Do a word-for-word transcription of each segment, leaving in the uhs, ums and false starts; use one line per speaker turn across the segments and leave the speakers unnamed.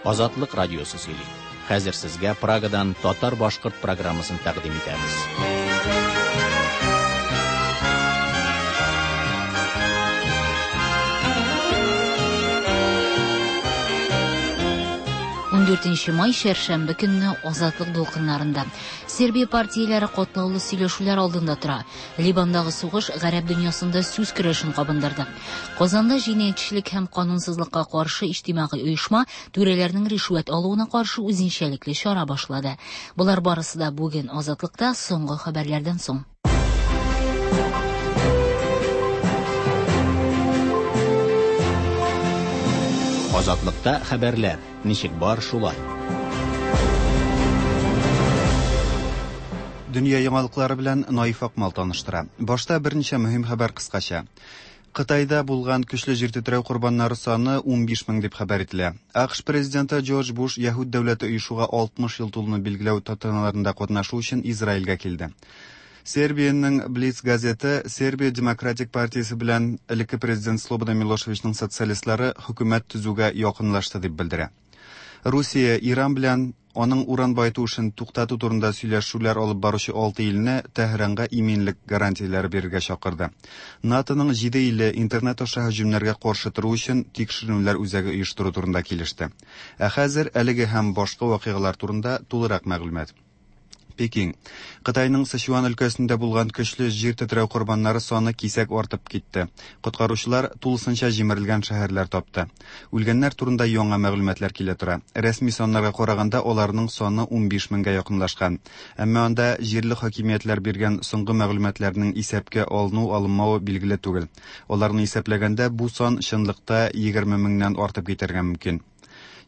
Азатлык радиосы сөйли. Хәзер сезгә Прагадан татар-башкорт программасын тәкъдим итәбез.
Ундүртенче май чәршәмбе көнне Азатлык дулкыннарында Сербия партияләре катлаулы сөйләшүләр алдында тора. Либандагы сугыш гарәп дөньясында сүз көрәшен кабындырды. Казанда җинаятьчелек һәм канунсызлыкка каршы иҗтимагый оешма түрәләрнең ришвәт алуына каршы үзенчәлекле чара башлады. Болар барысы да бүген Азатлыкта соңгы хәбәрләрдән соң.
Азатлыкта хәбәрләр ничек бар шулай.
Дөнья яңалыклары белән Наиф Акмал таныштыра. Башта берничә мөһим хәбәр кыскача. Кытайда булган көчле җир тетрәү корбаннары саны унбиш мең дип хәбәр ителә. АКШ президенты Джордж Буш Яһүд дәүләте оешуга алтмыш ел тулуны билгеләү тантаналарында катнашу өчен Израильгә килде. Сербиянең Блиц газеты Сербия Демократик партиясе белән элекке президент Слободан Милошевичның социалистлары хөкүмәт төзүгә якынлашты дип белдерә. Русия Иран белән аның уран баету эшен туктату турында сөйләшүләр алып баручы алты илне Тәһранга иминлек гарантияләре бирергә чакырды. НАТОның җиде иле интернет аша һөҗүмнәргә каршы тору өчен тикшеренүләр үзәге оештыру турында килеште. Ә хәзер әлеге һәм башка вакыйгалар турында тулырак мәгълүмат. Пекин. Кытайның Сычуан өлкәсендә булган көчле җир тетрәү корбаннары саны кисәк артып китте. Коткаручылар тулысынча җимерелгән шәһәрләр тапты. Үлгәннәр турында яңа мәгълүматлар килә тора. Рәсми саннарга караганда аларның саны унбиш меңгә якынлашкан. Әмма анда җирле хакимиятләр биргән соңгы мәгълүматларның исәпкә алыну-алынмавы билгеле түгел. Аларны исәпләгәндә бу сан чынлыкта егерме меңнән артып китәргә мөмкин.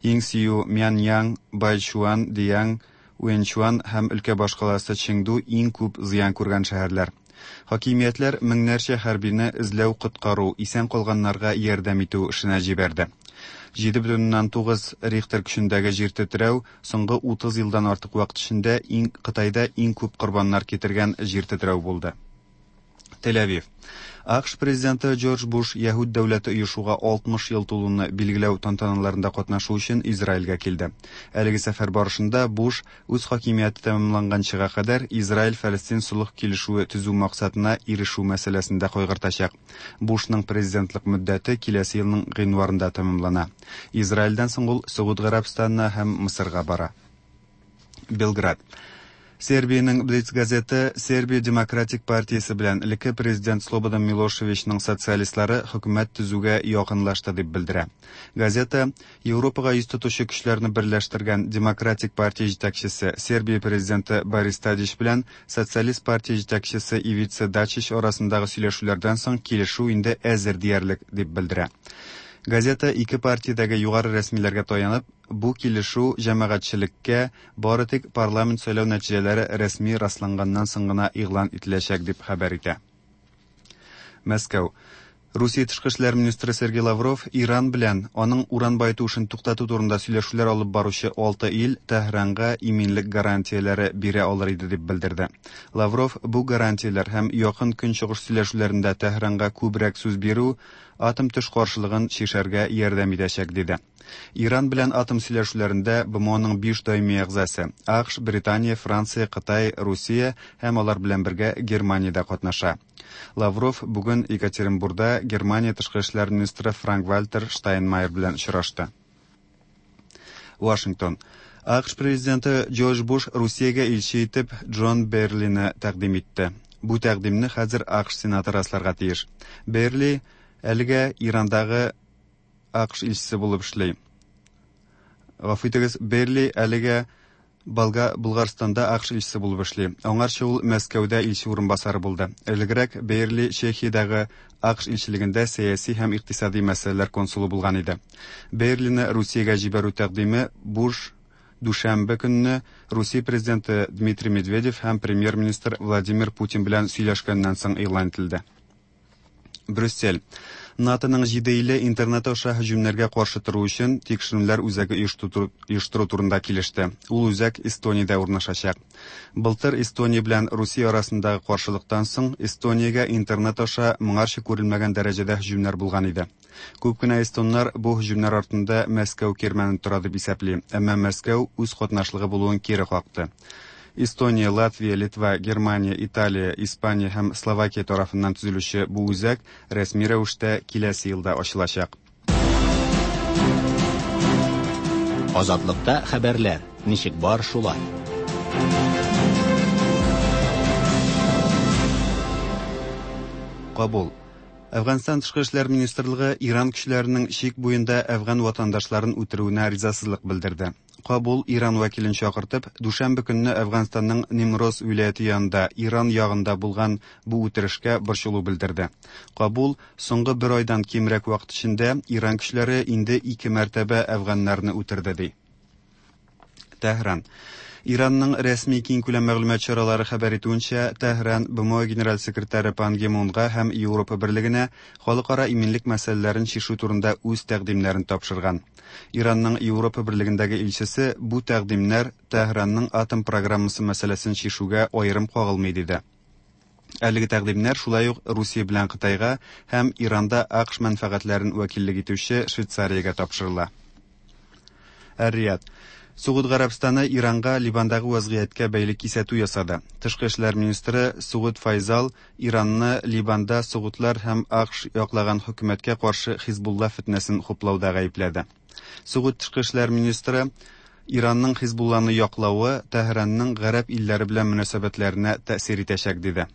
Йиңсию, Мяньян, Байчуан, Диянг, Уэнчуан һәм өлкә башкаласы Чеңду иң күп зыян күргән шәһәрләр. Хакимиятләр меңнәрчә хәрбине эзләү, коткару, исән калганнарга ярдәм итү эшенә җибәрде. Җиде бөтен уннан тугыз Рихтер көчендәге җир тетрәү соңгы утыз елдан артык вакыт эчендә иң Кытайда иң күп корбаннар китергән җир тетрәү булды. Тель-Авив. АКШ президенты Джордж Буш Яһүд дәүләте оешуга алтмыш ел тулуны билгеләү тантаналарында катнашу өчен Израильгә килде. Әлеге сәфәр барышында Буш үз хакимияте тәмамланганчыга кадәр Израиль-Фәлестин солых килешүе төзү максатына ирешү мәсьәләсендә кайгыртачак. Бушның президентлык мөддәте киләсе елның гыйнварында тәмамлана. Израильдән соң ул Согуд Гарәбстанына һәм Мысырга бара. Белград. Сербиянең Блиц газеты Сербия Демократик партиясе белән элекке президент Слободан Милошевичның социалистлары хөкүмәт төзүгә якынлашты дип белдерә. Газета Европага йөз тотучы көчләрне берләштергән Демократик партия җитәкчесе Сербия президенты Борис Тадич белән Социалист партия җитәкчесе Ивица Дачич арасындагы сөйләшүләрдән соң килешү инде әзер диярлек дип белдерә. Газета ике партиядәге югары рәсмиләргә таянып, бу килешү җәмәгатьчелеккә бары тик парламент сайлау нәтиҗәләре рәсми расланганнан соң гына игълан ителәчәк дип хәбәр итә. Мәскәү. Русия тышкы эшләр министры Сергей Лавров Иран белән аның уран баету эшен туктату турында сөйләшүләр алып баручы алты ил Тәһранга иминлек гарантияләре бирә алыр иде дип белдерде. Лавров бу гарантияләр һәм якын көнчыгыш сөйләшүләрендә Тәһранга күбрәк сүз бирү атом төш каршылыгын чишәргә ярдәм итәчәк диде. Иран белән атом сөйләшүләрендә БМОның биш даими әгъзасы АКШ, Британия, Франция, Кытай, Русия һәм алар белән бергә Германия дә катнаша. Лавров бүген Екатеринбургда Германия тышкы эшләр министры Франк-Вальтер Штайнмайер белән очрашты. Вашингтон. АКШ президенты Джордж Буш Русиягә илче итеп Джон Берлины тәкъдим итте. Бу тәкъдимне хәзер АКШ сенаты расларга тиеш. Берли әлегә Ирандагы АКШ илчесе булып эшли. Гафу итегез, Берли әлегә Болга-, Булгарстанда АКШ илчесе булып эшли. Аңарчы ул Мәскәүдә илче урынбасары булды. Элегрәк Берли Чехиядәге АКШ илчелегендә сәяси һәм икътисади мәсьәләләр консулы булган иде. Берлины Русиягә җибәрү тәкъдиме Буш дүшәмбе көнне Русия президенты Дмитрий Медведев һәм премьер-министр Владимир Путин белән сөйләшкәннән соң игълан ителде. Брюссель. НАТОның җиде иле интернет аша һөҗүмнәргә каршы тору өчен тикшеренүләр үзәге оештыру, оештыру турында килеште. Ул үзәк Эстониядә урнашачак. Былтыр Эстония белән Русия арасындагы каршылыктан соң Эстониягә интернет аша моңарчы күрелмәгән дәрәҗәдә һөҗүмнәр булган иде. Күп кенә эстоннар бу һөҗүмнәр артында Мәскәү кирмәне тора дип исәпли, әмма Мәскәү үз катнашлыгы булуын кире какты. Эстония, Латвия, Литва, Германия, Италия, Испания һәм Словакия тарафыннан төзелүче бу үзәк рәсми рәвештә киләсе елда ачылачак.
Азатлыкта хәбәрләр ничек бар шулай.
Кабул. Әфганстан Тышкы эшләр министрлыгы Иран көчләренең чик буенда әфган ватандашларын үтерүенә ризасызлык белдерде. Кабул Иран вәкилен чакыртып, дүшәмбе көнне Әфганстанның Нимроз вилаяте янында Иран ягында булган бу үтерешкә борчылу белдерде. Кабул соңгы бер айдан кимрәк вакыт эчендә Иран көчләре инде ике мәртәбә әфганнарны үтерде ди. Тәһран. Иранның рәсми киңкүләм мәгълүмат чаралары хәбәр итүенчә, Тәһран Б М О генераль секретаре Пан Ги Мунга һәм Европа Берлегенә халыкара иминлек мәсьәләләрен чишү турында үз тәкъдимнәрен тапшырган. Иранның Европа Берлегендәге илчесе бу тәкъдимнәр Тәһранның атом программасы мәсьәләсен чишүгә аерым кагылмый диде. Әлеге тәкъдимнәр шулай ук Русия белән Кытайга һәм Иранда А К Ш мәнфәгатьләрен вәкиллек итүче Швейцариягә тапшырыла. Эр-Рияд. Согуд Гарәбстаны Иранга Ливандагы вазгыятькә бәйле кисәтү ясады. Тышкы эшләр министры Согуд Файзал Иранны Ливанда согудлар һәм А К Ш яклаган хөкүмәткә каршы Хизбулла фитнәсен хуплауда гаепләде. Согуд тышкы эшләр министры Иранның Хизбулланы яклавы Тәһранның гарәп илләре белән мөнәсәбәтләренә тәэсир итәчәк диде.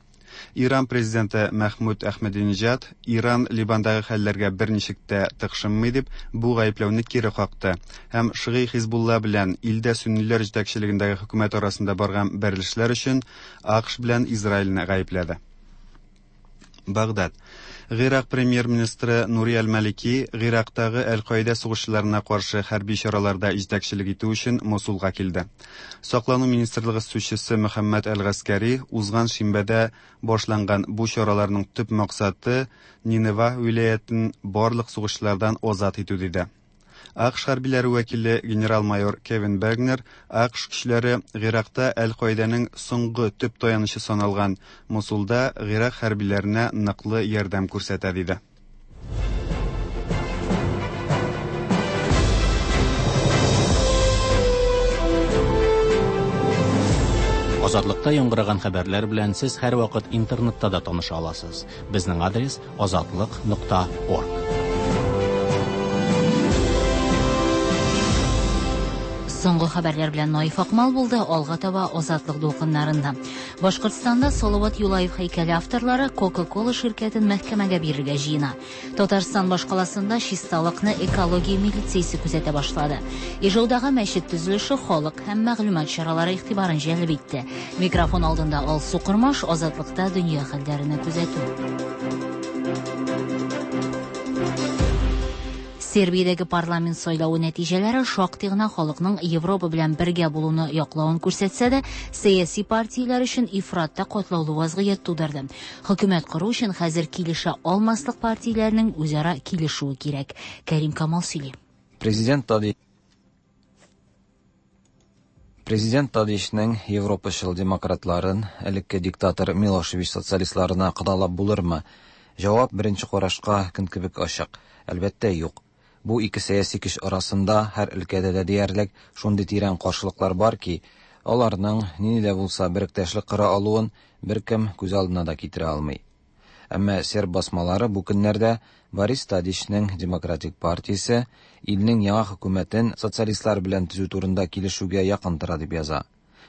Иран президенты Мәхмүд Әхмәдинежад Иран Ливандагы хәлләргә берничек тә тыкшынмый дип бу гаепләүне кире какты һәм шигый Хизбулла белән илдә сөнниләр җитәкчелегендәге хөкүмәт арасында барган бәрелешләр өчен А К Ш белән Израильне гаепләде. Багдад. Гыйрак премьер-министры Нури Аль-Малики Гыйрактагы Әл-Каида сугышчыларына каршы хәрби чараларда җитәкчелек итү өчен Мосулга килде. Саклану министрлыгы сүзчесе Мөхәммәд Әл-Гаскәри узган шимбәдә башланган бу чараларның төп максаты Нинева вилаятен барлык сугышчылардан азат итү диде. А К Ш хәрбиләре вәкиле генерал-майор Кевин Бергнер А К Ш көчләре Гыйракта Әл-Каиданың соңгы төп таянычы саналган Мосулда Гыйрак хәрбиләренә ныклы ярдәм күрсәтә диде.
Азатлыкта яңгыраган хәбәрләр белән сез һәрвакыт интернетта да таныша аласыз. Безнең адрес азатлык нокта орг.
Соңгы хәбәрләр белән Наиф Акмал булды, алга таба Азатлык дулкыннарында. Башкортстанда Салават Юлаев һәйкәле авторлары Coca-Cola ширкәтен мәхкәмәгә бирергә җыена. Татарстан башкаласында чисталыкны экология милициясе күзәтә башлады. Ижаудагы мәчет төзелеше халык һәм мәгълүмат чаралары игътибарын җәлеп итте. Микрофон алдында Алсу Кормаш, Азатлыкта дөнья хәлләренә күзәтү. Сербиядәге парламент сайлавы нәтиҗәләре шактый гына халыкның Европа белән бергә булуны яклавын күрсәтсә дә, сәяси партияләр өчен ифратта катлаулы вазгыять тудырды. Хөкүмәт кору өчен хәзер килешә алмаслык партияләрнең үзара килешүе кирәк. Кәрим Камал сөйли.
Президент Тади Президент Тадичның Европачыл демократларын элекке диктатор Милошевич социалистларына кодалап булырмы? Җавап беренче карашка көн кебек ачык. Әлбәттә, юк. Бу ике сәяси көч арасында һәр өлкәдә дә диярлек шундый тирән каршылыклар бар ки, аларның нинди дә булса беректәшлек кора алуын беркем күз алдына да китерә алмый. Әмма серб басмалары бу көннәрдә Борис Тадичның Демократик партиясе илнең яңа хөкүмәтен социалистлар белән төзү турында килешүгә якын тора дип яза.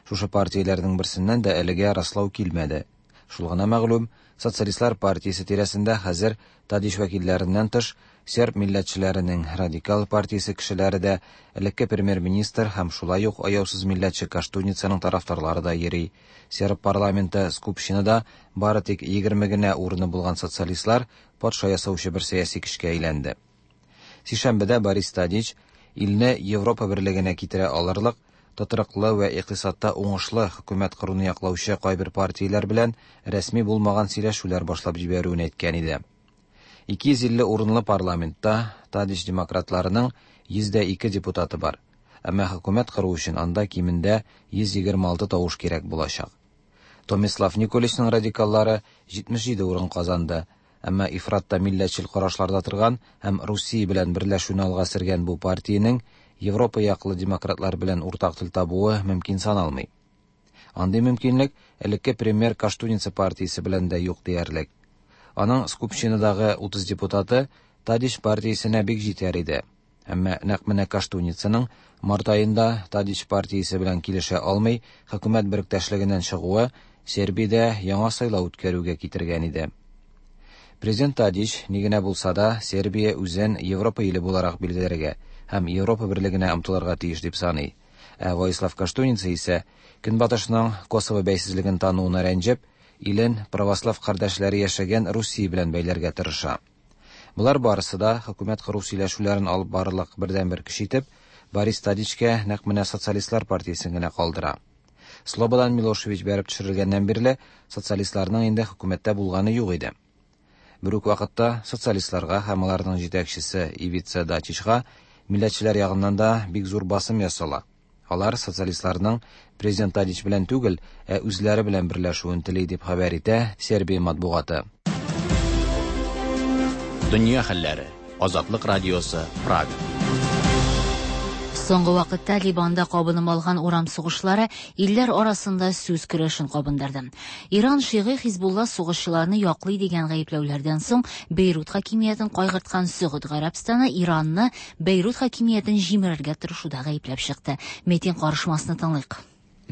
Шушы партияләрнең берсеннән дә әлегә раслау килмәде. Шул гына мәгълүм, социалистлар партиясе тирәсендә хәзер Тадич вәкилләреннән тыш серб милләтчеләренең радикал партиясе кешеләре дә, элекке премьер-министр һәм шулай ук аяусыз милләтче Коштуницаның тарафдарлары да йөри. Серб парламенты Скупщинада бары тик егерме генә урыны булган социалистлар патша ясаучы бер сәяси көчкә әйләнде. Сишәмбедә Борис Тадич илне Европа берлегенә китерә алырлык тотрыклы вә икътисадта уңышлы хөкүмәт коруны яклаучы кайбер партияләр белән рәсми булмаган сөйләшүләр башлап җибәрүен әйткән иде. Ике йөз илле урынлы парламентта Тадич демократларының йөз дә ике депутаты бар. Әмма хөкүмәт кору өчен анда кимендә йөз егерме алты тавыш кирәк булачак. Томислав Николичның радикаллары җитмеш җиде урын казанды. Әмма ифратта милләтчел карашларда торган һәм Русия белән берләшүне алга сөргән бу партиянең Европа яклы демократлар белән уртак тел табуы мөмкин саналмый. Андый мөмкинлек элекке премьер Коштуница партиясе белән дә юк диярлек. Аның Скупщинадагы утыз депутаты Тадич партиясенә бик җитәр иде. Әмма нәкъ менә Коштуницаның март аенда Тадич партиясе белән килешә алмый хөкүмәт беректәшлегеннән чыгуы Сербиядә яңа сайлау үткәрүгә китергән иде. Президент Тадич ни генә булса да Сербия үзен Европа иле буларак билгеләргә һәм Европа берлегенә омтылырга тиеш дип саный. Ә Воислав Коштуница исә Көнбатышның Косово бәйсезлеген тануына рәнҗеп, илен православ кардәшләре яшәгән Русия белән бәйләргә тырыша. Болар барысы да хөкүмәт кору сөйләшүләрен алып барырлык бердәнбер көч итеп, Борис Тадичкә нәкъ менә социалистлар партиясен генә калдыра. Слободан Милошевич бәреп төшерелгәннән бирле социалистларның инде хөкүмәттә булганы юк иде. Бер үк вакытта социалистларга һәм аларның җитәкчесе Ивица Дачичка милләтчеләр ягыннан да бик зур басым ясала. Алар социалистларның президент Тадич белән түгел, ә үзләре белән берләшүен тели дип хәбәр итә Сербия матбугаты.
Дөнья хәлләре. Азатлык радиосы, Прага.
Соңгы вакытта Ливанда кабынып алган урам сугышлары илләр арасында сүз көрәшен кабындырды. Иран шигый Хизбулла сугышчыларны яклый дигән гаепләүләрдән соң Бейрут хакимиятен кайгырткан Сөгуд Гарәбстаны Иранны Бейрут хакимиятен җимерергә тырышуда гаепләп чыкты. Метин карышмасны тыңлыйк.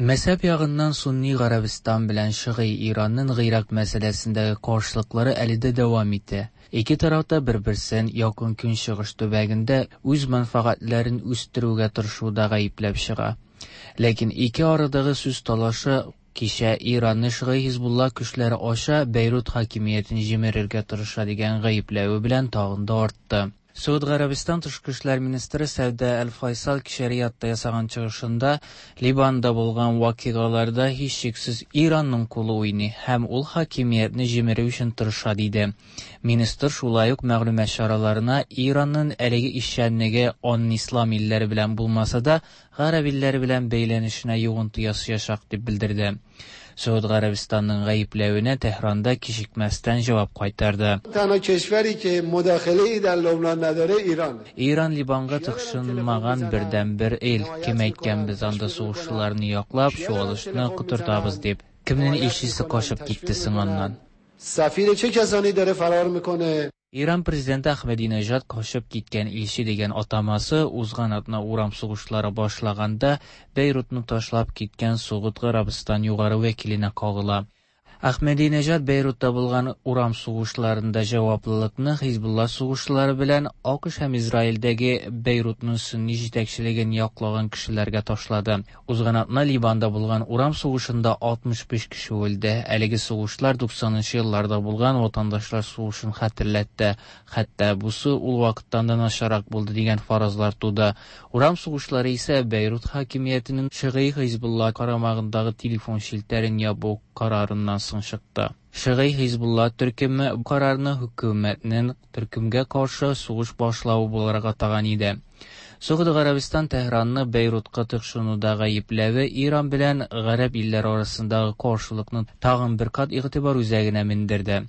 Мәзһәб ягыннан Сунни Гарәбстан белән шигый Иранның Гыйрак мәсьәләсендәге каршылыклары әле дә дәвам итә. Ике тарафта бер-берсен якын көнчыгыш төбәгендә үз мәнфәгатьләрен үстерүгә тырышуда гаепләп чыга. Ләкин ике арадагы сүз талашы кичә Иранны шигый Хизбулла көчләре аша Бейрут хакимиятен җимерергә тырыша дигән гаепләве белән тагын да артты. Сауд Гарәбстан тышкы эшләр министры Сәүдә Әл-Файсал кичә Риядта ясаган чыгышында Ливанда булган вакыйгаларда һичшиксез Иранның кулы уйный һәм ул хакимиятне җимерү өчен тырыша диде. Министр шулай ук мәгълүмат чараларына Иранның әлеге эшчәнлеге аның ислам илләре белән булмаса да, гарәп илләре белән бәйләнешенә йогынты ясаячак дип белдерде. Сауд Гарәбстанның гаепләвенә Тәһранда кичекмәстән җавап кайтарды. Иран Ливанга тыкшынмаган бердәнбер ил. Кем әйткән без анда сугышчыларны яклап, чуалышны котыртабыз дип. Кемнең илчесе качып китте соң аннан? Иран президенты Ахмадинежад качып киткән илче дигән атамасы узган атна урам сугышлары башлаганда Бейрутны ташлап киткән Согуд Гарәбстан югары вәкиленә кагыла. Ахмадинежад Бейрутта булган урам сугышларында җаваплылыкны Хизбулла сугышлары белән АКШ һәм Израильдәге Бейрутның сунни җитәкчелеген яклаган кешеләргә ташлады. Узган атна Ливанда булган урам сугышында алтмыш биш кеше үлде. Әлеге сугышлар туксанынчы елларда булган ватандашлар сугышын хәтерләтте. Хәтта бусы ул вакыттан да начаррак булды дигән фаразлар туды. Урам сугышлары исә Бейрут хакимиятенең шигый Хизбулла карамагындагы телефон челтәрен ябу карарыннан соң чыкты. Шигый Хизбулла төркеме бу карарны хөкүмәтнең төркемгә каршы сугыш башлавы буларак атаган иде. Согуд Гарәбстан Тәһранны Бейрутка тыкшынуда гаепләве Иран белән гарәп илләре арасындагы каршылыкны тагын бер кат игътибар үзәгенә мендерде.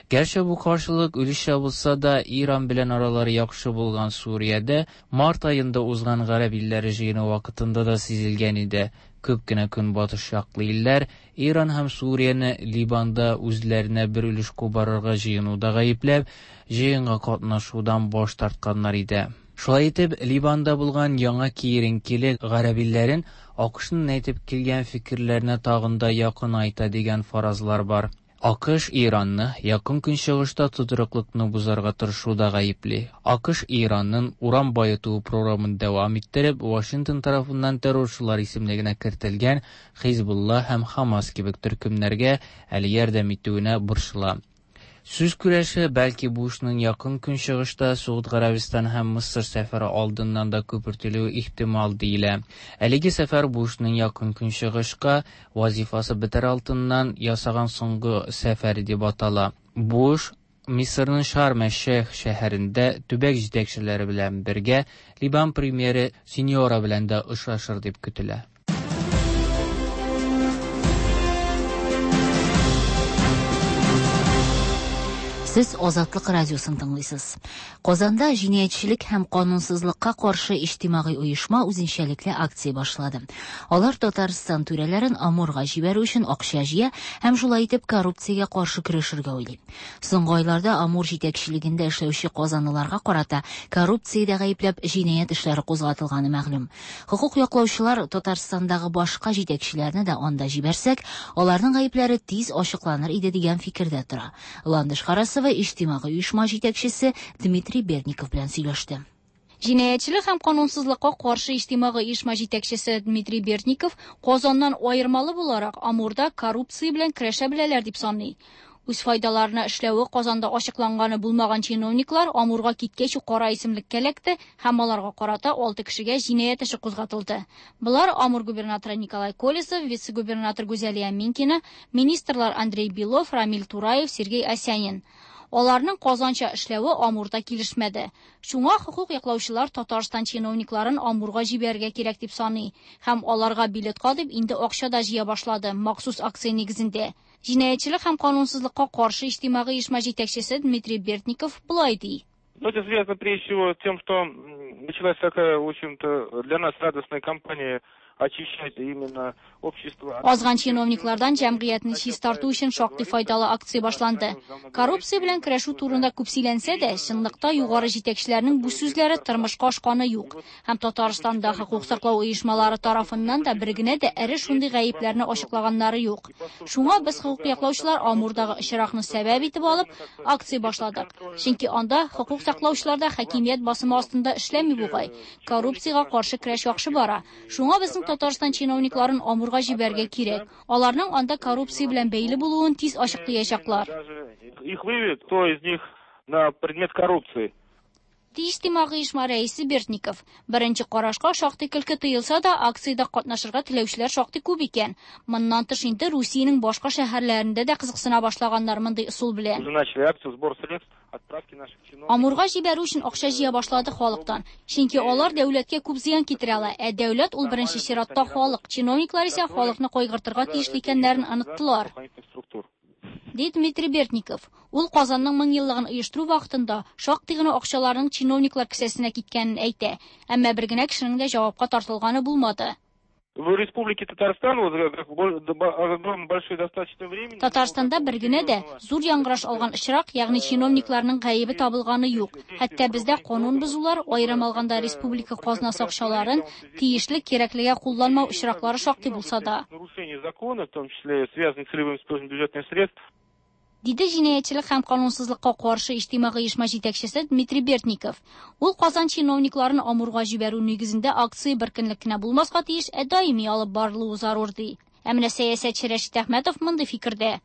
Гәрчә бу каршылык өлешчә булса да, Иран белән аралары яхшы булган Суриядә март аенда узган гарәп илләре җыены вакытында да сизелгән иде. Күп кенә көнбатыш яклы илләр Иран һәм Сурияне Ливанда үзләренә бер өлеш кубарырга җыенуда гаепләп, җыенга катнашудан баш тартканнар иде. Шулай итеп, Ливанда булган яңа киеренкелек гарәп илләрен АКШның әйтеп килгән фикерләренә тагын да якынайта дигән фаразлар бар. АКШ Иранны якын көнчыгышта тотрыклыкны бозарга тырышуда гаепли. АКШ Иранның уран баету програмын дәвам иттереп, Вашингтон тарафыннан террорчылар исемлегенә кертелгән Хизбулла һәм Хамас кебек төркемнәргә әле ярдәм итүенә борчыла. Сүз көрәше бәлки Бушның якын көнчыгышта Согуд Гарәбстан һәм Мысыр сәфәре алдыннан да күпертелүе ихтимал диелә. Әлеге сәфәр Бушның якын көнчыгышка вазифасы бетәр алдыннан ясаган соңгы сәфәре дип атала. Буш Мисырның Шарм-әш-Шейх шәһәрендә төбәк җитәкчеләре белән бергә Либан премьеры Синьора белән дә очрашыр дип көтелә.
Сез Азатлык радиосын тыңлыйсыз. Казанда җинаятьчелек һәм канунсызлыкка каршы иҗтимагый оешма үзенчәлекле акция башлады. Алар Татарстан түрәләрен Амурга җибәрү өчен акча җыя һәм шулай итеп коррупциягә каршы көрәшергә уйлый. Соңгы айларда Амур җитәкчелегендә эшләүче казанлыларга карата коррупциядә гаепләп җинаять эшләре кузгатылганы мәгълүм. Хокук яклаучылар Татарстандагы башка җитәкчеләрне дә анда җибәрсәк, аларның гаепләре тиз ачыкланыр иде дигән фикердә тора. Ландыш Харасова иҗтимагый оешма җитәкчесе Дмитрий Бердников белән сөйләште.
Җинаятьчелек һәм канунсызлыкка каршы иҗтимагый оешма җитәкчесе Дмитрий Бердников Казаннан аермалы буларак Амурда коррупция белән көрәшә беләләр дип саный. Үз файдаларына эшләве Казанда ачыкланганы булмаган чиновниклар Амурга киткәч үк кара исемлеккә эләкте һәм аларга карата алты кешегә җинаять эше кузгатылды. Болар Амур губернаторы Николай Колесов, вице-губернатор Гүзәлия Минкина, министрлар Андрей Белов, Рамиль Тураев, Сергей Осянин. Аларның Казанча эшләве Амурда килешмәде. Шуңа хокук яклаучылар Татарстан чиновникларын Амурга җибәрергә кирәк дип саный һәм аларга билетка дип инде акча да җыя башлады махсус акция нигезендә. Җинаятьчелек һәм канунсызлыкка каршы иҗтимагый оешма җитәкчесе Дмитрий Бердников болай ди.
Ну, это связано прежде всего с тем, что началась такая, в общем-то, для нас радостная кампания очищать именно общество.
Азган чиновниклардан җәмгыятьне чистарту өчен шактый файдалы акция башланды. Коррупция белән көрәшү турында күп сөйләнсә дә, чынлыкта югары җитәкчеләрнең бу сүзләре тормышка ашканы юк. Һәм Татарстанда хокук саклау оешмалары тарафыннан да бер генә дә эре шундый гаепләрне ачыклаганнары юк. Шуңа без хокук яклаучылар Амурдагы очракны сәбәп итеп алып, акция башладык. Чөнки анда хокук саклаучылар да хакимият басымы астында эшләми бугай. Коррупциягә каршы көрәш яхшы бара. Шуңа безнең Татарстан чиновникларын Амурга җибәрергә кирәк. Аларның анда коррупция белән бәйле булуын тиз ачыклаячаклар.
Их выявят, кто из них на предмет коррупции.
Иҗтимагый оешма рәисе Бердников. Беренче карашка шактый көлке тоелса да, акциядә катнашырга теләүчеләр шактый күп икән. Моннан тыш инде Русиянең башка шәһәрләрендә дә кызыксына башлаганнар мондый ысул белән.
Уже начали акцию сбор средств отправки наших чиновников.
Амурга җибәрү өчен акча җыя башлады халыктан. Чөнки алар дәүләткә күп зыян китерә ала. Ә дәүләт ул беренче чиратта халык. Чиновниклар исә халыкны кайгыртырга тиешле икәннәрен оныттылар. Ди Дмитрий Бердников. Ул Казанның мең еллыгын оештыру вакытында шактый гына акчаларның чиновниклар кесәсенә киткәнен әйтә. Әмма бер генә кешенең дә җавапка тартылганы булмады.
В Республике Татарстан вот большой достаточно времени.
Татарстанда бер генә дә зур яңгыраш алган очрак, ягъни чиновникларның гаебе табылганы юк. Хәтта бездә канун бозулар, аерым алганда республика казнасы акчаларын тиешле кирәклегә кулланмау очраклары шактый булса да.
Нарушение закона, в том числе связанных с целевым использованием бюджетных средств.
Диде җинаятьчелек һәм канунсызлыкка каршы иҗтимагый оешма җитәкчесе Дмитрий Бердников. Ул Казан чиновникларын Амурга җибәрү нигезендә акция бер көнлек кенә булмаска тиеш, ә даими алып барылуы зарур ди. Ә менә сәясәтче Рәшит Әхмәтов мондый фикердә.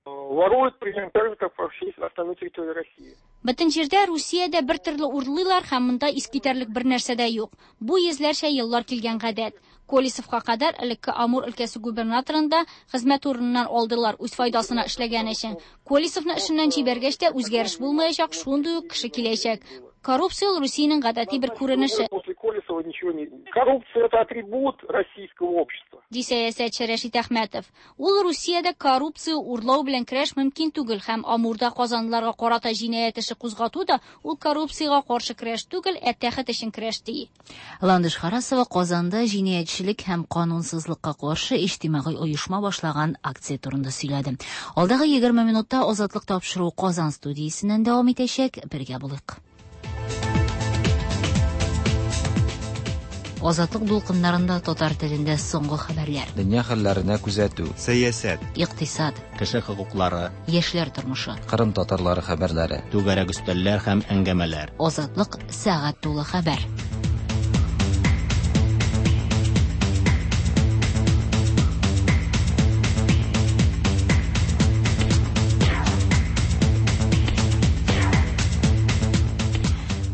Воруют примерно так же, как по всей остальной территории России.
Бөтен җирдә Русиядә бер төрле урлыйлар һәм монда искитәрлек бер нәрсә дә юк. Бу йөзләрчә еллар килгән гадәт. Колесовка кадәр элекке Амур өлкәсе губернаторында хезмәт урыныннан алдылар үз файдасына эшләгән өчен. Колесовны эшеннән җибәргәч тә үзгәреш булмаячак, шундый ук кеше киләчәк. Коррупция ул Русиянең гадәти бер күренеше.
После Колесова ничего не... Коррупция это атрибут российского общества.
Ди сәясәтче Рәшит Әхмәтов. Ул Русиядә коррупция урлау белән көрәш мөмкин түгел һәм Амурда казанлыларга карата җинаять эше кузгату да ул коррупциягә каршы көрәш түгел, ә тәхет өчен көрәш ди.
Ландыш Харасова Казанда җинаятьчелек һәм канунсызлыкка каршы иҗтимагый оешма башлаган акция турында сөйләде. Алдагы егерме минутта Азатлык тапшыруы Казан студиясеннән дәвам итәчәк. Бергә булыйк. Азатлык дулкыннарында татар телендә соңгы хәбәрләр.
Дөнья хәлләренә күзәтү,
сәясәт,
икътисад,
кеше хокуклары,
яшьләр тормышы,
Кырым татарлары хәбәрләре,
түгәрәк өстәлләр һәм әңгәмәләр.
Азатлык сәгать тулы хәбәр.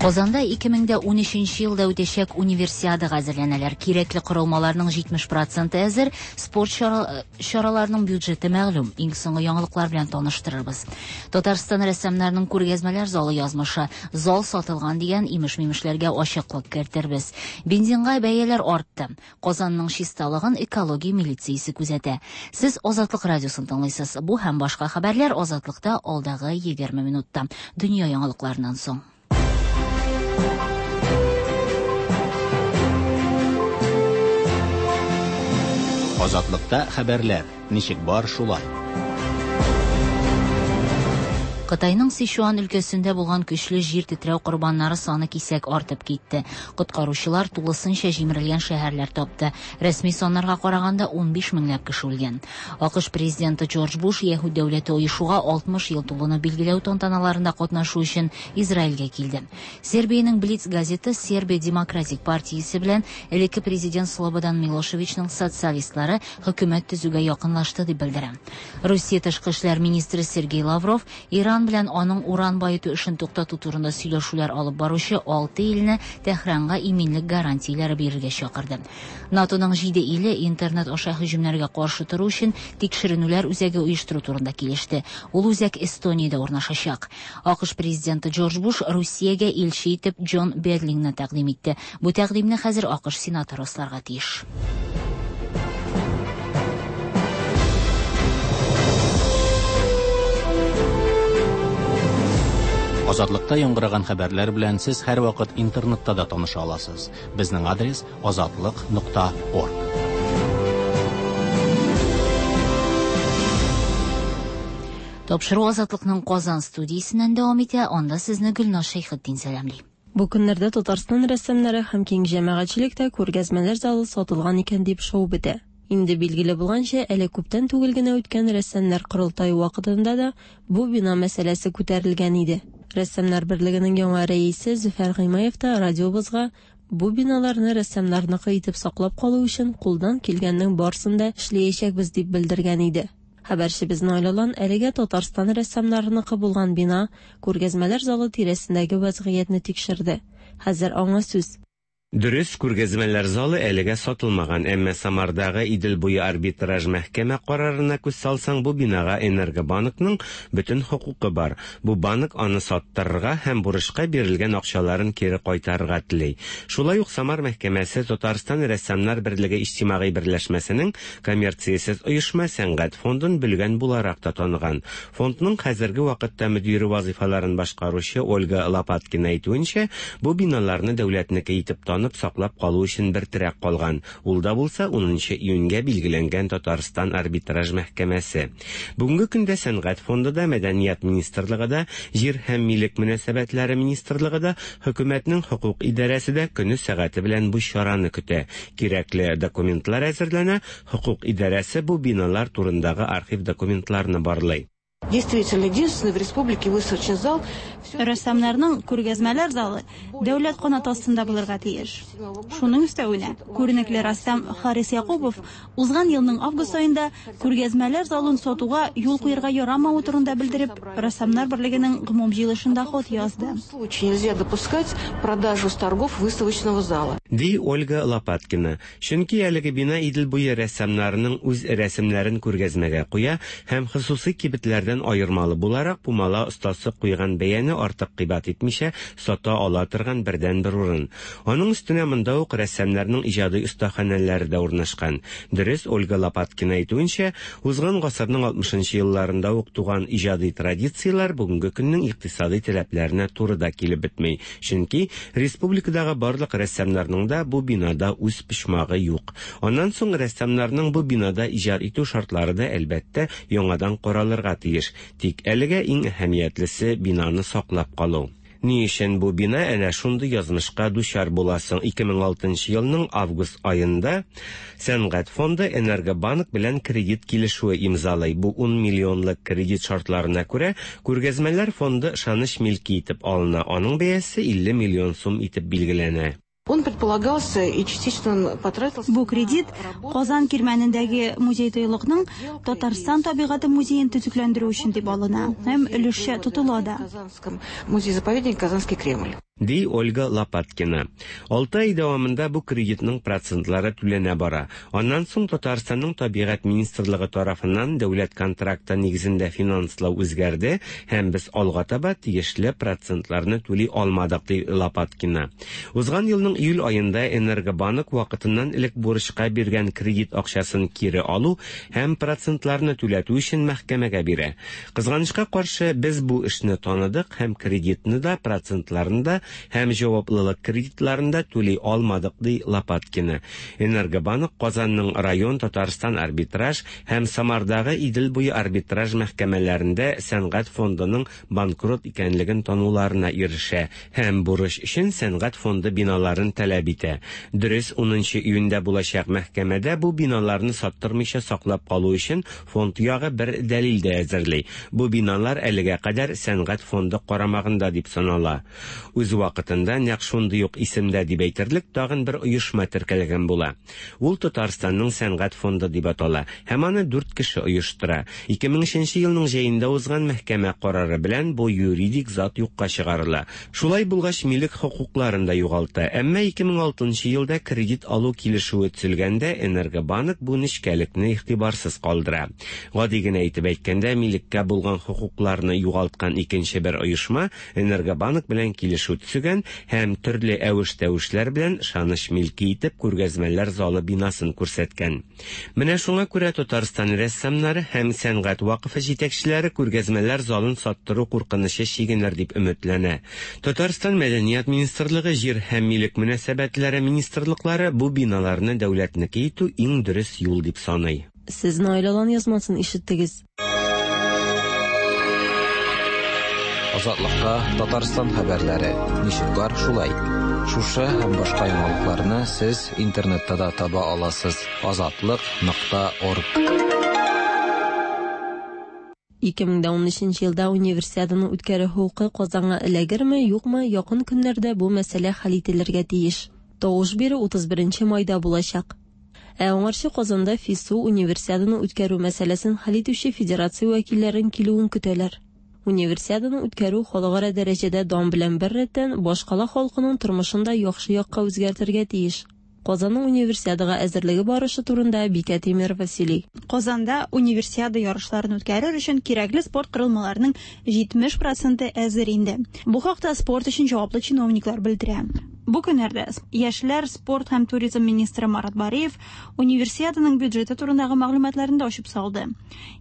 Казанда ике мең дә унөченче елда үтәчәк универсиадага әзерләнәләр. Кирәкле корылмаларның җитмеш проценты әзер, спорт чара-, чараларының бюджеты мәгълүм. Иң соңгы яңалыклар белән таныштырырбыз. Татарстан рәссамнарының күргәзмәләр залы язмышы. Зал сатылган дигән имеш-мимешләргә ачыклык кертербез. Бензинга бәяләр артты. Казанның чисталыгын экология милициясе күзәтә. Сез Азатлык радиосын тыңлыйсыз. Бу һәм башка хәбәрләр Азатлыкта алдагы егерме минутта. Дөнья яңалыкларыннан соң.
Азатлыкта хәбәрләр ничек бар шулай.
Кытайның Сычуан өлкәсендә булган көчле җир тетрәү корбаннары саны кисәк артып китте. Коткаручылар тулысынча җимерелгән шәһәрләр тапты. Рәсми саннарга караганда унбиш меңләп кеше үлгән. АКШ президенты Джордж Буш Яһүд дәүләте оешуга алтмыш ел тулуны билгеләү тантаналарында катнашу өчен Израильгә килде. Сербиянең Блиц газеты Сербия Демократик партиясе белән элекке президент Слободан Милошевичның социалистлары хөкүмәт төзүгә якынлашты дип белдерә. Русия тышкы эшләр министры Сергей Лавров Иран белән аның уран баету эшен туктату турында сөйләшүләр алып баручы алты илне Тәһранга иминлек гарантияләре бирергә чакырды. НАТОның җиде иле интернет аша һөҗүмнәргә каршы тору өчен тикшеренүләр үзәге оештыру турында килеште. Ул үзәк Эстониядә урнашачак. АКШ президенты Джордж Буш Русиягә илче итеп Джон Бедлингны тәкъдим итте. Бу тәкъдимне хәзер АКШ сенаты расларга тиеш.
Азатлыкта яңгыраган хәбәрләр белән сез һәрвакыт интернетта да таныша аласыз. Безнең адрес азатлык нокта орг.
Тапшыру Азатлыкның Казан студиясеннән дәвам итә. Анда сезне Гөлназ Шәйхетдин сәламли.
Бу көннәрдә Татарстан рәссамнары һәм киң җәмәгатьчелектә күргәзмәләр залы сатылган икән дип шау бетә. Инде билгеле булганча, әле күптән түгел генә үткән рәссамнар корылтае вакытында да бу бина мәсьәләсе күтәрелгән иде. Рәссамнар берлегенең яңа рәисе Зөфәр Гыймаев та радиобызга бу биналарны рәссамнарныкы итеп саклап калу өчен кулдан килгәннең барысын да эшләячәкбез дип белдергән иде. Хәбәрчебез Наил Алан әлегә Татарстан рәссамнарыныкы булган бина күргәзмәләр залы тирәсендәге вазгыятьне тикшерде. Хәзер аңа сүз.
Дөрес, күргәзмәләр залы әлегә сатылмаган, әмма Самардагы Идел буе арбитраж мәхкәмә карарына күз салсаң, бу бинага Энергобанкның бөтен хокукы бар. Бу банк аны саттырырга һәм бурычка бирелгән акчаларын кире кайтарырга тели. Шулай ук Самар мәхкәмәсе Татарстан Рәссамнар берлеге иҗтимагый берләшмәсенең коммерциясез оешма сәнгать фондын бүлгән буларак та таныган. Фондның хәзерге вакытта мөдире вазифаларын башкаручы Ольга Лопаткина әйтүенчә, бу биналарны дәүләтнеке итеп танып саклап калу өчен бер терәк калган. Ул да булса унынчы июньгә билгеләнгән Татарстан арбитраж мәхкәмәсе. Бүгенге көндә Сәнгать фонды да, Мәдәният министрлыгы да, Җир һәм милек мөнәсәбәтләре министрлыгы да, хөкүмәтнең хокук идарәсе дә көне сәгате белән бу чараны көтә. Кирәкле документлар әзерләнә, хокук идарәсе бу биналар турындагы архив документларны барлый.
Действительно, единственный в республике выставочный зал.
Рәссамнарның күргәзмәләр залы дәүләт канаты астында булырга тиеш. Шуның өстәвенә, күренекле рәссам Харис Якупов узган елның август аенда күргәзмәләр залын сатуга юл куярга ярамавы турында белдереп, Рәссамнар берлегенең гомум җыелышында хат язды.
В случае нельзя допускать продажу с торгов выставочного зала.
Ди Ольга Лопаткина. Чөнки әлеге бина Идел буе рәссамнарының үз рәсемнәрен күргәзмәгә куя һәм хосусый кибетләрдән аермалы буларак пумала остасы куйган бәяне артык кыйбат итмичә сата ала торган бердәнбер урын. Аның өстенә монда ук рәссамнарның иҗади остаханәләре дә урнашкан. Дөрес, Ольга Лопаткина әйтүенчә, узган гасырның алтмышынчы елларында ук туган иҗади традицияләр бүгенге көннең икътисади таләпләренә туры да килеп бетми. Чөнки республикадагы барлык рәссамнарның да бу бинада үз почмагы юк. Аннан соң рәссамнарның бу бинада иҗат итү шартлары да әлбәттә яңадан каралырга тиеш. Тик әлегә иң әһәмиятлесе бинаны саклап калу. Ни өчен бу бина әнә шундый язмышка дучар буласың? ике мең алтынчы елның август аенда Сәнгать фонды Энергобанк белән кредит килешүе имзалый. Бу ун миллионлык кредит шартларына күрә күргәзмәләр фонды ышаныч милке итеп алына. Аның бәясе илле миллион сум итеп билгеләнә.
Он предполагался и частично он потратился.
Бу кредит Казан кирмәнендәге музей тыюлыкның Татарстан табигате музеен төзекләндерү өчен дип алына һәм өлешчә тотыла да.
Казанском музей-заповедник Казанский Кремль.
Ди Ольга Лопаткина. Алты ай дәвамында бу кредитның процентлары түләнә бара. Аннан соң Татарстанның Табигать министрлыгы тарафыннан дәүләт контракты нигезендә финанслау үзгәрде һәм без алга таба тиешле процентларны түли алмадык, ди Лопаткина. Узган елның июль аенда Энергобанк вакытыннан элек бурычка биргән кредит акчасын кире алу һәм процентларны түләтү өчен мәхкәмәгә бирә. Кызганычка каршы, без бу эшне таныдык һәм кредитны да, процентларны да һәм җаваплылык кредитларын да түли алмадык, ди Лопаткина. Энергобанк Казанның район, Татарстан арбитраж һәм Самардагы Идел буе арбитраж мәхкәмәләрендә сәнгать фондының банкрот икәнлеген тануларына ирешә һәм бурыч өчен сәнгать фонды биналарын таләп итә. Дөрес, унынчы июньдә булачак мәхкәмәдә бу биналарны саттырмыйча саклап калу өчен фонд ягы бер дәлил дә әзерли. Бу биналар әлегә кадәр сәнгать фонды карамагында дип санала. Үз вакытында нәкъ шундый ук исемдә дип әйтерлек тагын бер оешма теркәлгән була. Ул Татарстанның сәнгать фонды дип атала һәм аны дүрт кеше оештыра. ике мең өченче елның җәендә узган мәхкәмә карары белән бу юридик зат юкка чыгарыла. Шулай булгач, милек хокукларын да югалта. Әмма ике мең алтынчы елда кредит алу килешүе төзелгәндә Энергобанк бу нечкәлекне игътибарсыз калдыра. Гади генә әйтеп әйткәндә, милеккә булган хокукларны югалткан икенче бер оешма Энергобанк белән килешү төзегән һәм төрле әвеш-тәвешләр белән ышаныч милке итеп күргәзмәләр залы бинасын күрсәткән. Менә шуңа күрә Татарстан рәссамнары һәм сәнгать вакыфы җитәкчеләре күргәзмәләр залын саттыру куркынычы чигенер дип өметләнә. Татарстан Мәдәният министрлыгы, Җир һәм милек мөнәсәбәтләре министрлыклары бу биналарны дәүләтнеке итү иң дөрес юл дип саный.
Сез Наил Алан язмасын ишеттегез.
Азатлыкта Татарстан хәбәрләре ничек бар шулай. Шушы һәм башка яңалыкларны сез интернетта да таба аласыз. Азатлык нокта орг.
ике мең унөченче елда универсиаданы үткәрү хокукы Казанга эләгерме, юкмы, якын көннәрдә бу мәсьәлә хәл ителергә тиеш. Тавыш бирү утыз беренче майда булачак. Ә аңарчы Казанда ФИСУ универсиаданы үткәрү мәсьәләсен хәл итүче федерация вәкилләрен килүен көтәләр. Универсиаданы үткәрү халыкара дәрәҗәдә дан белән бер рәттән башкала халкының тормышын да яхшы якка үзгәртергә тиеш. Казанның универсиадага әзерлеге барышы турында Бикә Тимирова сөйли.
Казанда универсиада ярышларын үткәрер өчен кирәкле спорт корылмаларының җитмеш проценты әзер инде. Бу хакта спорт өчен җаваплы чиновниклар белдерә. Бу көннәрдә яшьләр, спорт һәм туризм министры Марат Бариев универсиаданың бюджеты турындагы мәгълүматларын да ачып салды.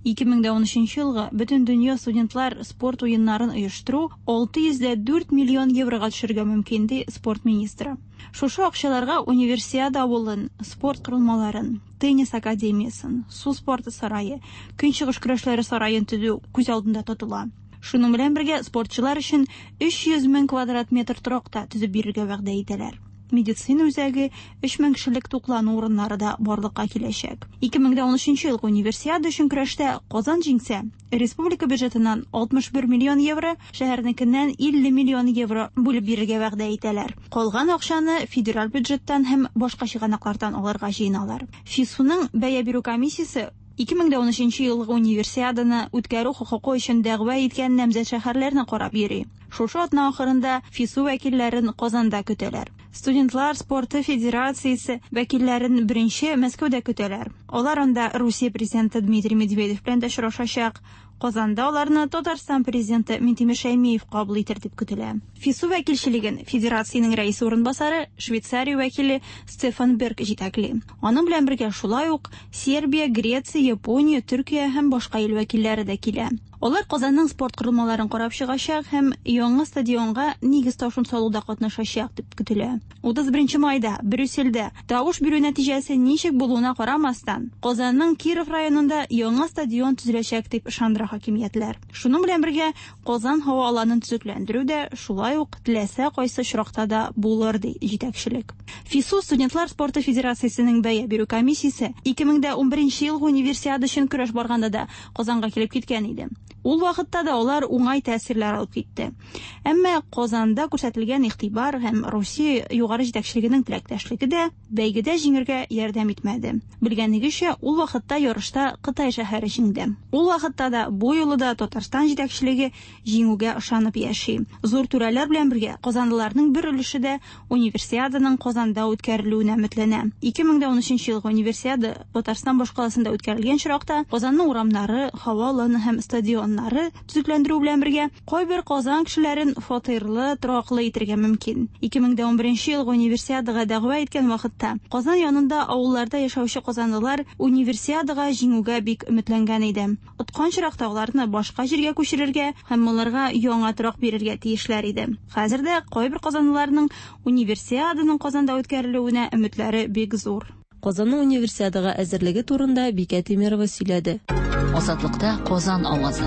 ике мең унөченче елгы бөтен дөнья студентлар спорт уеннарын оештыру алты йөз дә дүрт миллион еврога төшергә мөмкин, ди спорт министры. Шушы акчаларга универсиада авылын, спорт корылмаларын, теннис академиясын, су спорты сарае, көнчыгыш көрәшләре сараен төзү күз алдында тотыла. Шуның белән бергә спортчылар өчен өч йөз мең квадрат метр торак та төзеп бирергә вәгъдә итәләр. Медицина үзәге, өч мең кешелек туклану урыннары да барлыкка киләчәк. ике мең унөченче елгы универсиада өчен көрәштә Казан җиңсә, республика бюджетыннан алтмыш бер миллион евро, шәһәрнекеннән илле миллион евро бүлеп бирергә вәгъдә итәләр. Калган акчаны федераль бюджеттан һәм башка чыганаклардан алырга җыеналар. ФИСУның бәя бирү комиссиясе ике мең унөченче елгы универсиаданы үткәрү хокукы өчен дәгъва иткән намзәт шәһәрләрне карап йөри. Шушы атна ахырында ФИСУ вәкилләрен Казанда көтәләр. Студентлар спорты федерациясе вәкилләрен беренче Мәскәүдә көтәләр. Алар анда Русия президенты Дмитрий Медведев белән дә очрашачак. Казанда аларны Татарстан президенты Минтимер Шәймиев кабул итер дип көтелә. ФИСУ вәкилчелеген федерациянең рәисе урынбасары Швейцария вәкиле Стефан Берг җитәкли. Аның белән бергә шулай ук Сербия, Греция, Япония, Төркия һәм башка ил вәкилләре дә килә. Алар Казанның спорт корылмаларын карап чыгачак һәм яңа стадионга нигез ташын салуда катнашачак дип көтелә. утыз беренче майда Брюссельдә тавыш бирү нәтиҗәсе ничек булуына карамастан, Казанның Киров районында яңа стадион төзеләчәк дип ышандыра хакимиятләр. Шуның белән бергә Казан һава аланын төзекләндерү дә шулай ук теләсә кайсы очракта да булыр, ди җитәкчелек. ФИСУ студентлар спорты федерациясенең бәя бирү комиссиясе ике мең унберенче елгы универсиада өчен көрәш барганда да Казанга килеп киткән иде. Ул вакытта да алар уңай тәэсирләр алып китте. Әмма Казанда күрсәтелгән игътибар һәм Русия югары җитәкчелегенең теләктәшлеге дә бәйгедә җиңергә ярдәм итмәде. Белгәнегезчә, ул вакытта ярышта Кытай шәһәре җиңде. Ул вакытта да, бу юлы да Татарстан җитәкчелеге җиңүгә ышанып яши. Зур түрәләр белән бергә казанлыларның бер өлеше дә Универсиаданың Казанда үткәрелүенә өметләнә. ике мең дә унөченче елгы Универсиада Татарстан башкаласында үткәрелгән очракта Казанның урамнары, һава аланы һәм стадионнары төзекләндерү белән бергә кайбер Казан кешеләрен фатирлы, тораклы итергә мөмкин. ике мең дә унберенче елгы Универсиадага дәгъва иткән вакытта Казан янында авылларда яшәүче казанлылар Универсиадага җиңүгә бик өметләнгән иде. Откан очракта аларны башка җиргә күчерергә һәм аларга яңа торак бирергә тиешләр иде. Хәзер дә кайбер казанлыларның Универсиаданың Казанда үткәрелүенә өметләре бик зур.
Казанның Универсиадага әзерлеге турында Бикә Тимирова сөйләде.
Азатлыкта Казан авазы.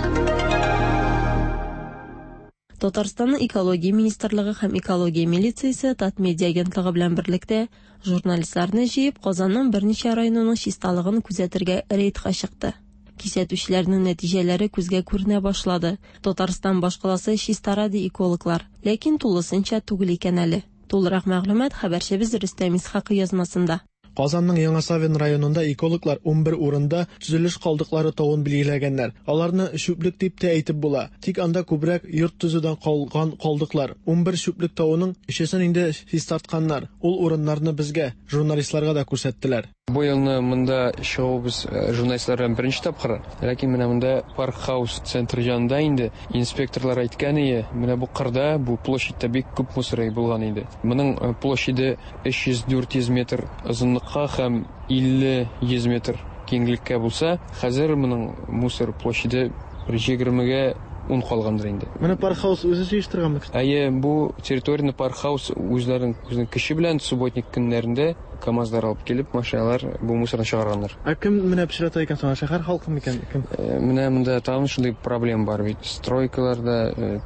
Татарстанның Экология министрлыгы һәм Экология милициясе Татмедиа агентлыгы белән берлектә журналистларны җыеп Казанның берничә районының чисталыгын күзәтергә рейдка чыкты. Кисәтүчеләрнең нәтиҗәләре күзгә күренә башлады. Татарстан башкаласы чистара ди экологлар, ләкин тулысынча түгел икән әле. Тулырак мәгълүмат хәбәрчебез Рөстәм Исхакый язмасында.
Казанның Яңа Савин районында экологлар унбер урында төзелеш калдыклары тавын билгеләгәннәр. Аларны чүплек дип тә әйтеп була. Тик анда күбрәк йорт төзүдән калган калдыклар. Унбер чүплек тавының өчесен инде чистартканнар. Ул урыннарны безгә, журналистларга да күрсәттеләр.
Бу елны монда чыгуыбыз журналистлар белән беренче тапкыр. Ләкин менә монда Парк Хаус центры янында инде инспекторлар әйткән иде, менә бу кырда, бу площадьта бик күп мусор булган иде. Моның площаде өч йөз дүрт йөз метр озынлыкка һәм илле йөз метр киңлеккә булса, хәзер моның мусор площаде бер егермегә ун калгандыр инде.
Менә Парк Хаус үзе җыештырганмы?
Әйе, бу территорияне Парк Хаус үзләренең үзенең көче белән субботник көннәрендә КАМАЗлар алып килеп, машиналар бу мусорны чыгарганнар.
Ә кем менә пычрата икән соң? Шәһәр халкы микән? Кем?
Менә монда тагын шундый проблема бар бит. Стройкаларда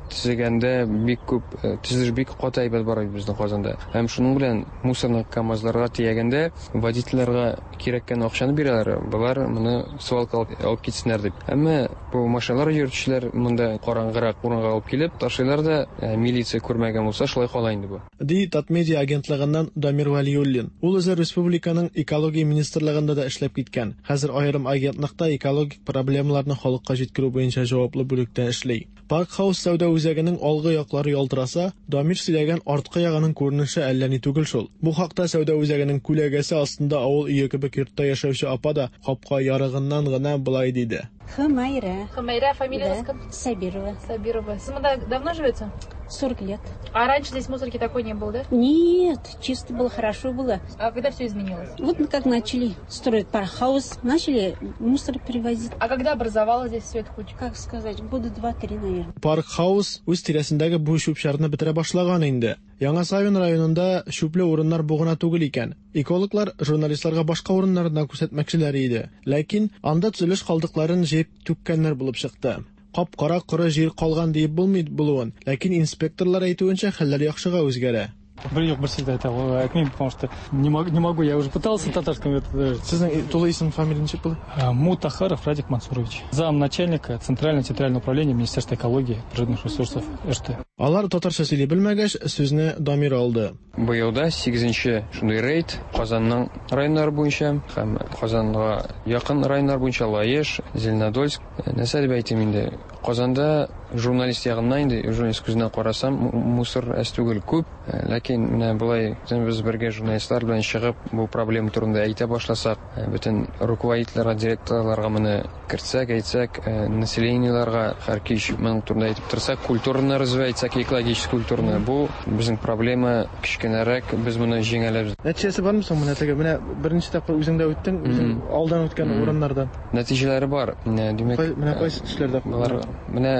төзегәндә бик күп төзелеш бик каты әйбәт бара бит безнең Казанда. Һәм шуның белән мусорны КАМАЗларга төягәндә водительләргә кирәккән акчаны бирәләр. Болар моны свалка алып китсеннәр дип. Әмма бу машиналар йөртүчеләр монда караңгырак урынга алып килеп ташлыйлар да, милиция күрмәгән булса шулай кала инде бу.
Ди Татмедиа агентлыгыннан Дамир Вәлиуллин. Ул үзе республиканың экология министрлыгында да эшләп киткән. Хәзер аерым агентлыкта экологик проблемаларны халыкка җиткерү буенча җаваплы бүлектә эшли. Парк Хаус сәүдә үзәгенең алгы яклары ялтыраса, Дамир сөйләгән арткы ягының күренеше әллә ни түгел шул. Бу хакта сәүдә үзәгенең күләгәсе астында авыл өе кебек йортта яшәүче апа да капка ярыгыннан гына былай диде.
Хумайра.
Хумайра, фамилия
да. Сабирова.
Сабирова. Сез монда давно живете?
сорок лет.
А раньше здесь мусорки такой не было, да?
Нет, чисто было, хорошо было.
А когда все изменилось?
Вот как начали строить пархаус, начали мусор привозить.
А когда образовалась здесь все это куча?
Как сказать, года два-три, наверное.
Паркхаус үз тирәсендәге бу чүп-чарны бетерә башлаган инде. Яңа Савин районында чүпле урыннар бу гына түгел икән. Экологлар журналистларга башка урыннарны күрсәтмәкчеләр иде. Ләкин анда төзелеш калдыкларын җыеп түккәннәр булып чыкты. Кап-кара коры җир калган диеп булмый булуын, ләкин инспекторлар әйтүенчә хәлләр яхшыга үзгәрә.
Бер юк, бер сүз дә әйтә алмыйм, потому что не могу, не могу, я уже пытался татарском это.
Сезнең тулы исем, фамилия ничек була?
Мутахаров Радик Мансурович, замначальника Центрального территориального управления Министерства экологии и природных ресурсов эр тэ.
Алар татарча сөйли белмәгәч, сүзне Дамир алды.
Быел да сигезенче шундый рейд Казанның районнары буенча һәм Казанга якын районнар буенча Лаеш, Зеленодольск. Нәрсә дип әйтим инде? Казанда журналист ягыннан инде, журналист күзеннән карасам, мусор әз түгел күп, ләкин менә болай без бергә журналистлар белән чыгып бу проблема турында әйтә башласак, бөтен руководительләргә, директорларга моны кертсәк, әйтсәк, населениеларга һәр кич моның турында әйтеп торсак, культураны развивать итсәк, экологический культураны, бу безнең проблема кечкенәрәк, без моны җиңә алабыз.
Нәтиҗәсе бармы соң менә теге? Менә беренче тапкыр үзең дә үттең, үзең алдан үткән урыннардан.
Нәтиҗәләре бар. Димәк,
менә кайсы төшләрдә?
Болар менә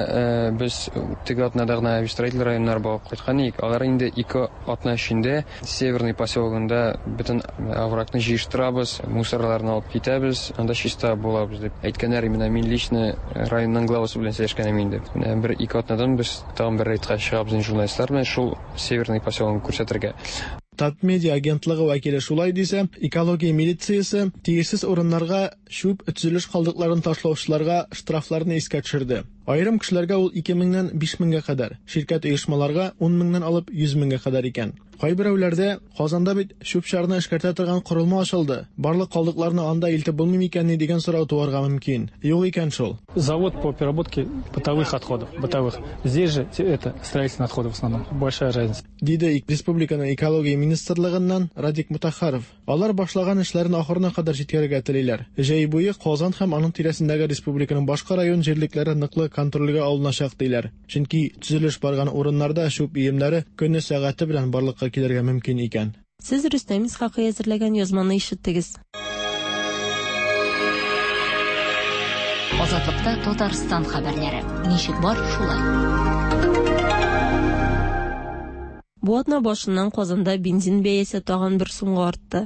без теге атнада гына Авистроитель районнары барып кайткан идек. Алар инде ике атна эчендә Северный поселогында бөтен оврагны җыештырабыз, мусорларны алып китәбез, анда чиста булабыз дип әйткәннәр. Менә мин лично районның главасы белән сөйләшкән идем инде. Менә бер ике атнадан без тагын бер рейдка чыгабыз журналистлар белән шул Северный поселогын күрсәтергә.
Татмедиа агентлыгы вәкиле шулай дисә, экология милициясе тиешсез урыннарга чүп төзелеш калдыкларын ташлаучыларга штрафларны искә төшерде. Аерым кешеләргә ул ике меңнән биш меңгә кадәр, ширкәт оешмаларга ун меңнән алып йөз меңгә кадәр икән. Кайберәүләрдә Казанда бит чүп-чарны эшкәртә торган корылма ачылды, барлык калдыкларны анда илтеп булмый микәнни дигән сорау туарга мөмкин. Юк икән шул.
Завод по переработке бытовых отходов, бытовых. Здесь же это строительные отходы в основном. Большая разница.
Диде республиканың экология министрлыгыннан Радик Мутахаров. Алар башлаган эшләрен ахырына кадәр җиткерергә телиләр. Җәй буе Казан һәм аның тирәсендәге республиканың башка район җирлекләре ныклы контрольгә алыначак диләр. Чөнки төзелеш барган урыннарда чүп өемнәре көне сәгате белән барлыкка килергә мөмкин икән.
Сез Рөстәм Исхакый әзерләгән язманы ишеттегез.
Азатлыкта Татарстан хәбәрләре. Ничек бар, шулай.
Бу атна башыннан Казанда бензин бәясе тагын бер сумга артты.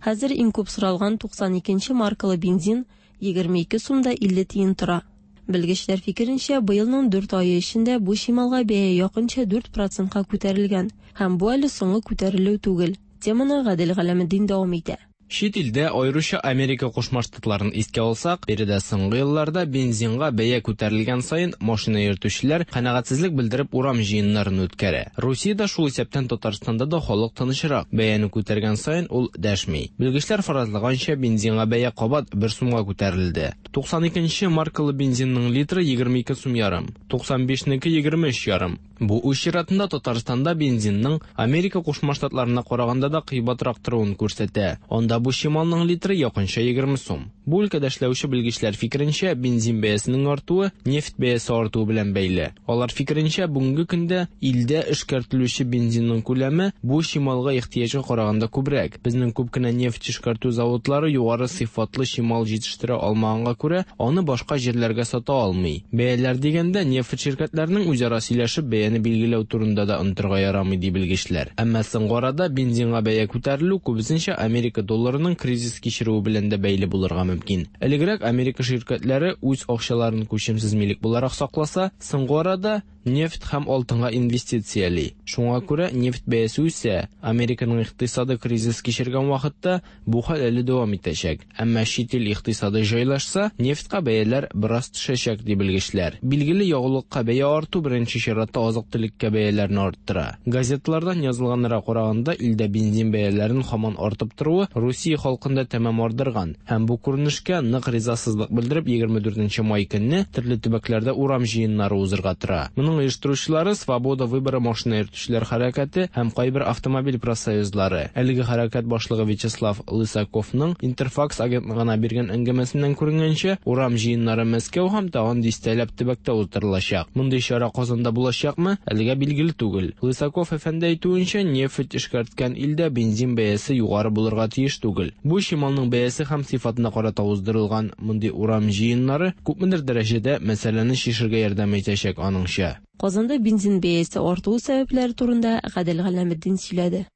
Хәзер иң күп соралган туксан икенче маркалы бензин егерме ике сум да илле тиен тора. Белгечләр фикеренчә, быелның дүрт ае эчендә бу чималга бәя якынча дүрт процентка күтәрелгән һәм бу әле соңгы күтәрелү түгел. Теманы Гадел Галәметдин дәвам итә.
Чит илдә, аеруча Америка Кушма Штатларын искә алсак, биредә соңгы елларда бензинга бәя күтәрелгән саен машина йөртүчеләр канәгатьсезлек белдереп урам җыеннарын үткәрә. Русиядә, шул исәптән Татарстанда да халык тынычрак. Бәяне күтәргән саен ул дәшми. Белгечләр фаразлаганча, бензинга бәя кабат бер сумга күтәрелде. туксан икенче маркалы бензинның литры егерме ике сум ярым, туксан бишнеке егерме өч ярым. Бу үз чиратында Татарстанда бензинның Америка Кушма Штатларына караганда да кыйбатрак торуын күрсәтә. Анда бу чималның литры якынча егерме сум. Бу өлкәдә эшләүче белгечләр фикеренчә, бензин бәясенең артуы нефть бәясе артуы белән бәйле. Алар фикеренчә, бүгенге көндә илдә эшкәртелүче бензинның күләме бу чималга ихтыяҗга караганда күбрәк. Безнең күп кенә нефть эшкәртү заводлары югары сыйфатлы чимал җитештерә алмаганга күрә, аны башка җирләргә сата алмый. Бәяләр дигәндә, нефть ширкәтләренең үзара сөйләшеп бәяне билгеләү турында да онытырга ярамый, ди белгечләр. Әмма соңгы арада бензинга бәя күтәрелү күбесенчә Америка долларының кризис кичерүе белән дә бәйле булырга мөмкин. Элегрәк Америка ширкәтләре үз акчаларын күчемсез милек буларак сакласа, соңгы арада нефть һәм алтынга инвестицияли. Шуңа күрә нефть бәясе үсә. Американың икътисады кризис кичергән вакытта бу хәл әле дәвам итәчәк. Әмма чит ил икътисады җайлашса, нефтькә бәяләр бераз төшәчәк, ди белгечләр. Билгеле, ягулыкка бәя арту беренче чиратта азык-төлеккә бәяләрне арттыра. Газетлардан язылганнарга караганда, илдә бензин бәяләренең һаман артып торуы Русия халкында тәмам ардырган һәм бу күренешкә нык ризасызлык белдереп егерме дүртенче май көнне төрле төбәкләрдә урам җыеннары узырга тора. Моның оештыручылары Свобода выбора машина йөртүчеләр хәрәкәте һәм кайбер автомобиль профсоюзлары. Әлеге хәрәкәт башлыгы Вячеслав Лысаковның Интерфакс агентлыгына биргән әңгәмәсеннән күренгәнчә, урам җыеннары Мәскәү һәм тагын дистәләп төбәктә уздырылачак. Мондый чара Казанда булачакмы, әлегә билгеле түгел. Лысаков әфәнде әйтүенчә, нефть эшкәрткән илдә бензин бәясе югары булырга тиеш түгел. Бу чималның бәясе һәм сыйфатына карата уздырылган мондый урам җыеннары күпмедер дәрәҗәдә мәсьәләне чишергә ярдәм итәчәк аныңча.
Казанда бензин бәясе артуы сәбәпләре турында Гадел Галәметдин сөйләде.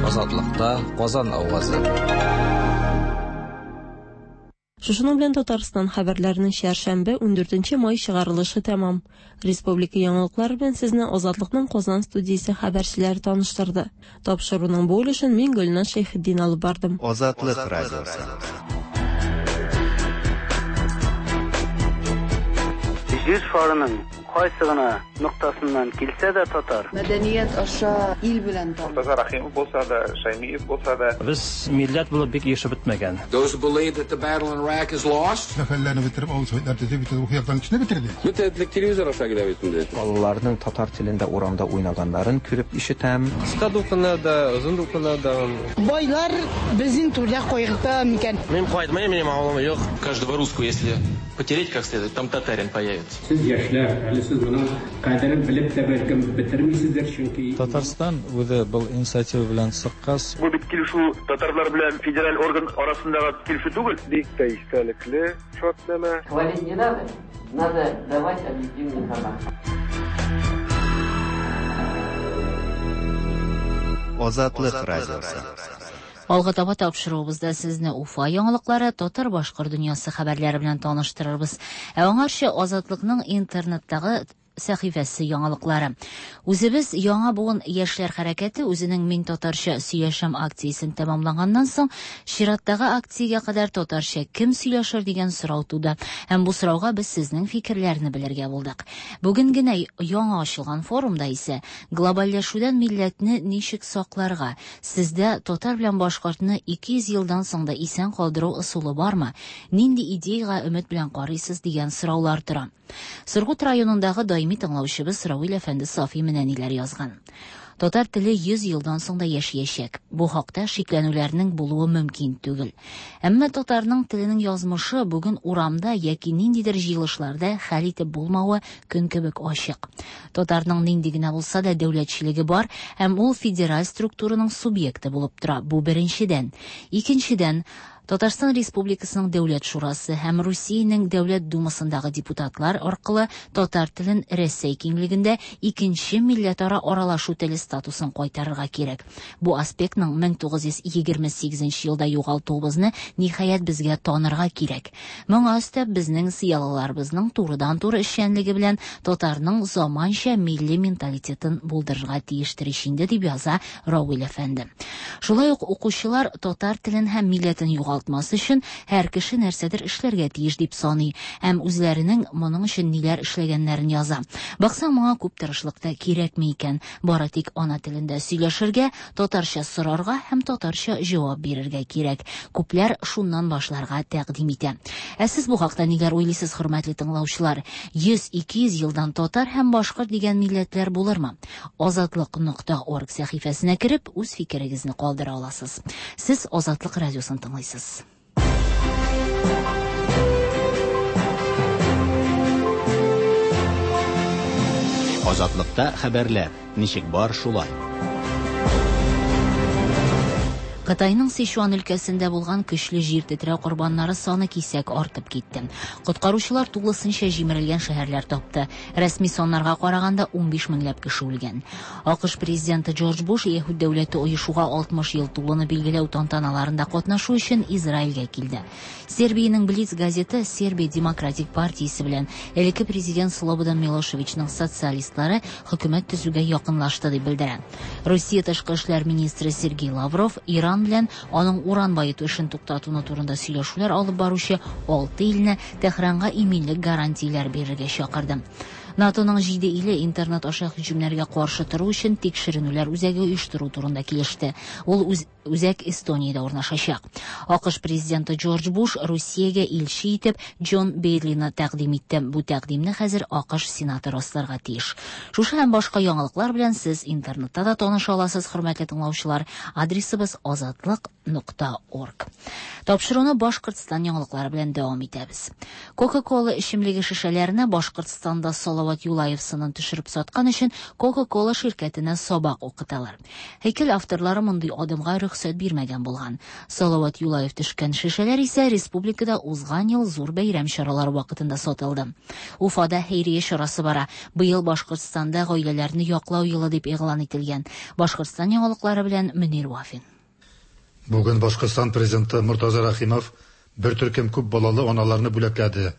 Азатлыкта Казан авазы.
Шушының белән Татарстан хәбәрләренең чәршәмбе ундүртенче май чыгарылышы тәмам. Республика яңалыклары белән сезне Азатлыкның Казан студиясе хәбәрчеләре таныштырды. Тапшыруның бу өлешен мин Гөлназ Шәйхетдин алып бардым.
Азатлык радиосы.
Җир шарының кайсы гына ноктасыннан килсә дә татар.
Мәдәният аша ил белән танып.
Мортаза Рахимов булса да, Шаймиев булса да.
Без милләт булып бик ешып бетмәгән.
Those who believe that the battle in Iraq is lost.
Сәфәрләрне бетереп, авыл советлар төзеп, бит рухи яктан кешене бетерде.
Бөтен телевизор аша килә бит инде.
Балаларның татар телендә урамда уйнаганнарын күреп ишетәм.
Кыска дулкыннар да, озын дулкыннар да.
Байлар безнең түрдә кайгырта микән?
Мин кайтмыйм, минем авылым юк. Каждого русского, если потереть как следует, там татарин появится.
Сез яшьләр, әле сез моның кадерен белеп тә бәлкем бетермисездер, чөнки
Татарстан үзе был инициатива белән чыккач.
Бу бит килешү татарлар белән федераль орган арасындагы килешү түгел.
Бик тә истәлекле шартнамә.
Хвалить не надо, надо давать объективную информацию.
Азатлык радиосы.
Алга таба тапшыруыбызда сезне Уфа яңалыклары, татар-башкорт дөньясы хәбәрләре белән таныштырырбыз. Ә аңарчы Азатлыкның интернеттагы сәхифәсе яңалыклары. Үзебез яңа буын яшьләр хәрәкәте үзенең Мин татарча сөйләшәм акциясен тәмамлаганнан соң, чираттагы акциягә кадәр татарча кем сөйләшер дигән сорау туды. Һәм бу сорауга без сезнең фикерләрне белергә булдык. Бүген генә яңа ачылган форумда исә глобальләшүдән милләтне ничек сакларга, сездә татар белән башкортны ике йөз елдан соң да исән калдыру ысулы бармы, нинди идеяга өмет белән карыйсыз дигән сораулар тора. Сургут районындагы даими тыңлаучыбыз Равил әфәнде Сафи менә ниләр язган. Татар теле йөз елдан соң да яшәячәк. Бу хакта шикләнүләрнең булуы мөмкин түгел. Әмма татарның теленең язмышы бүген урамда яки ниндидер җыелышларда хәл итеп булмавы көн кебек ачык. Татарның нинди генә булса да дәүләтчелеге бар һәм ул федераль структураның субъекты булып тора. Бу беренчедән. Икенчедән, Татарстан Республикасының Дәүләт Шурасы һәм Русиянең Дәүләт Думасындагы депутатлар аркылы татар телен Рәсәй киңлегендә икенче милләтара аралашу теле статусын кайтарырга кирәк. Бу аспектның мең тугыз йөз егерме сигезенче елда югалтуыбызны ниһаять безгә танырга кирәк. Моңа өстәп безнең зыялыларыбызның турыдан-туры эшчәнлеге белән татарның заманча милли менталитетын булдырырга тиештер инде, дип яза Равил әфәнде. Шулай ук укучылар татар телен һәм милләтен югалтмас өчен һәр кеше нәрсәдер эшләргә тиеш дип саный һәм үзләренең моның өчен ниләр эшләгәннәрен яза. Баксаң, моңа күп тырышлык та кирәкми икән. Бары тик ана телендә сөйләшергә, татарча сорарга һәм татарча җавап бирергә кирәк. Күпләр шуннан башларга тәкъдим итә. Ә сез бу хакта ниләр уйлыйсыз, хөрмәтле тыңлаучылар? йөз ике йөз елдан татар һәм башкорт дигән милләтләр булырмы? Азатлык нокта орг сәхифәсенә кереп, үз фикерегезне калдыра аласыз. Сез Азатлык радиосын тыңлыйсыз.
Азатлыкта хәбәрләр ничек бар шулай.
Кытайның Сычуан өлкәсендә булган көчле җир тетрәү корбаннары саны кисәк артып китте. Коткаручылар тулысынча җимерелгән шәһәрләр тапты. Рәсми саннарга караганда унбиш меңләп кеше үлгән. АКШ президенты Джордж Буш Яһүд дәүләте оешуга алтмыш ел тулуны билгеләү тантаналарында катнашу өчен Израильгә килде. Сербиянең Блиц газеты Сербия демократик партиясе белән элекке президент Слободан Милошевичның социалистлары хөкүмәт төзүгә якынлашты дип белдерә. Русия тышкы эшләр министры Сергей Лавров Иран белән аның уран баету эшен туктатуны турында сөйләшүләр алып баручы алты илне Тәһранга иминлек гарантияләр бирергә чакырды. НАТОның җиде иле интернет аша һөҗүмнәргә каршы тору өчен тикшеренүләр үзәге оештыру турында килеште. Ул үз үзәк Эстониядә урнашачак. АКШ президенты Джордж Буш Русиягә илче итеп Джон Бейдлины тәкъдим итте. Бу тәкъдимне хәзер АКШ Сенаты расларга тиеш. Шушы һәм башка яңалыклар белән сез интернетта да таныша аласыз, хөрмәтле тыңлаучылар. Адресыбыз азатлык нокта орг. Тапшыруны Башкортстан яңалыклары белән дәвам итәбез. Кока-кола эчемлеге шешәләренә Башкортстанда Салават Юлаев сынын төшереп саткан өчен Кока-кола ширкәтенә сабак укыталар. Һәйкәл авторлары мондый адымга рөхсәт бирмәгән булган. Салават Юлаев төшкән шешәләр исә республикада узган ел зур бәйрәм чаралары вакытында сатылды. Уфада хәйрия чарасы бара. Быел Башкортстанда гаиләләрне яклау елы дип игълан ителгән. Башкортстан яңалыклары белән Мөнир Вафин.
Бүген Башкортстан президенты Муртаза Рахимов бер төркем күп балалы аналарны бүләкләде.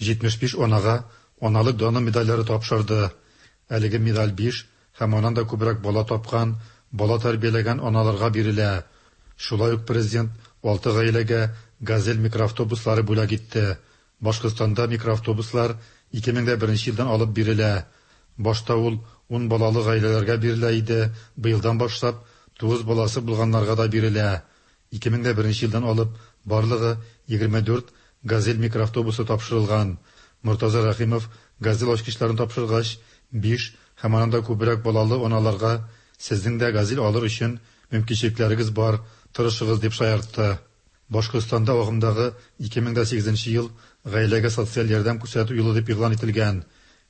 җитмеш биш анага аналык даны медальләре тапшырды. Әлеге медаль биш һәм аннан да күбрәк бала тапкан, бала тәрбияләгән аналарга бирелә. Шулай ук президент алты гаиләгә «Газель» микроавтобуслары бүләк итте. Башкортстанда микроавтобуслар ике мең дә беренче елдан алып бирелә. Башта ул ун балалы гаиләләргә бирелә иде, быелдан башлап тугыз баласы булганнарга да бирелә. ике мең дә беренче елдан алып барлыгы егерме дүрт «Газель» микроавтобусы тапшырылган. Муртаза Рахимов «Газель» ачкычларын тапшыргач, биш һәм аннан да күбрәк балалы аналарга сезнең дә «Газель» алыр өчен мөмкинчелекләрегез бар, тырышыгыз дип шаяртты. Башкортстанда агымдагы ике мең дә сигезенче ел гаиләгә социаль ярдәм күрсәтү елы дип игълан ителгән.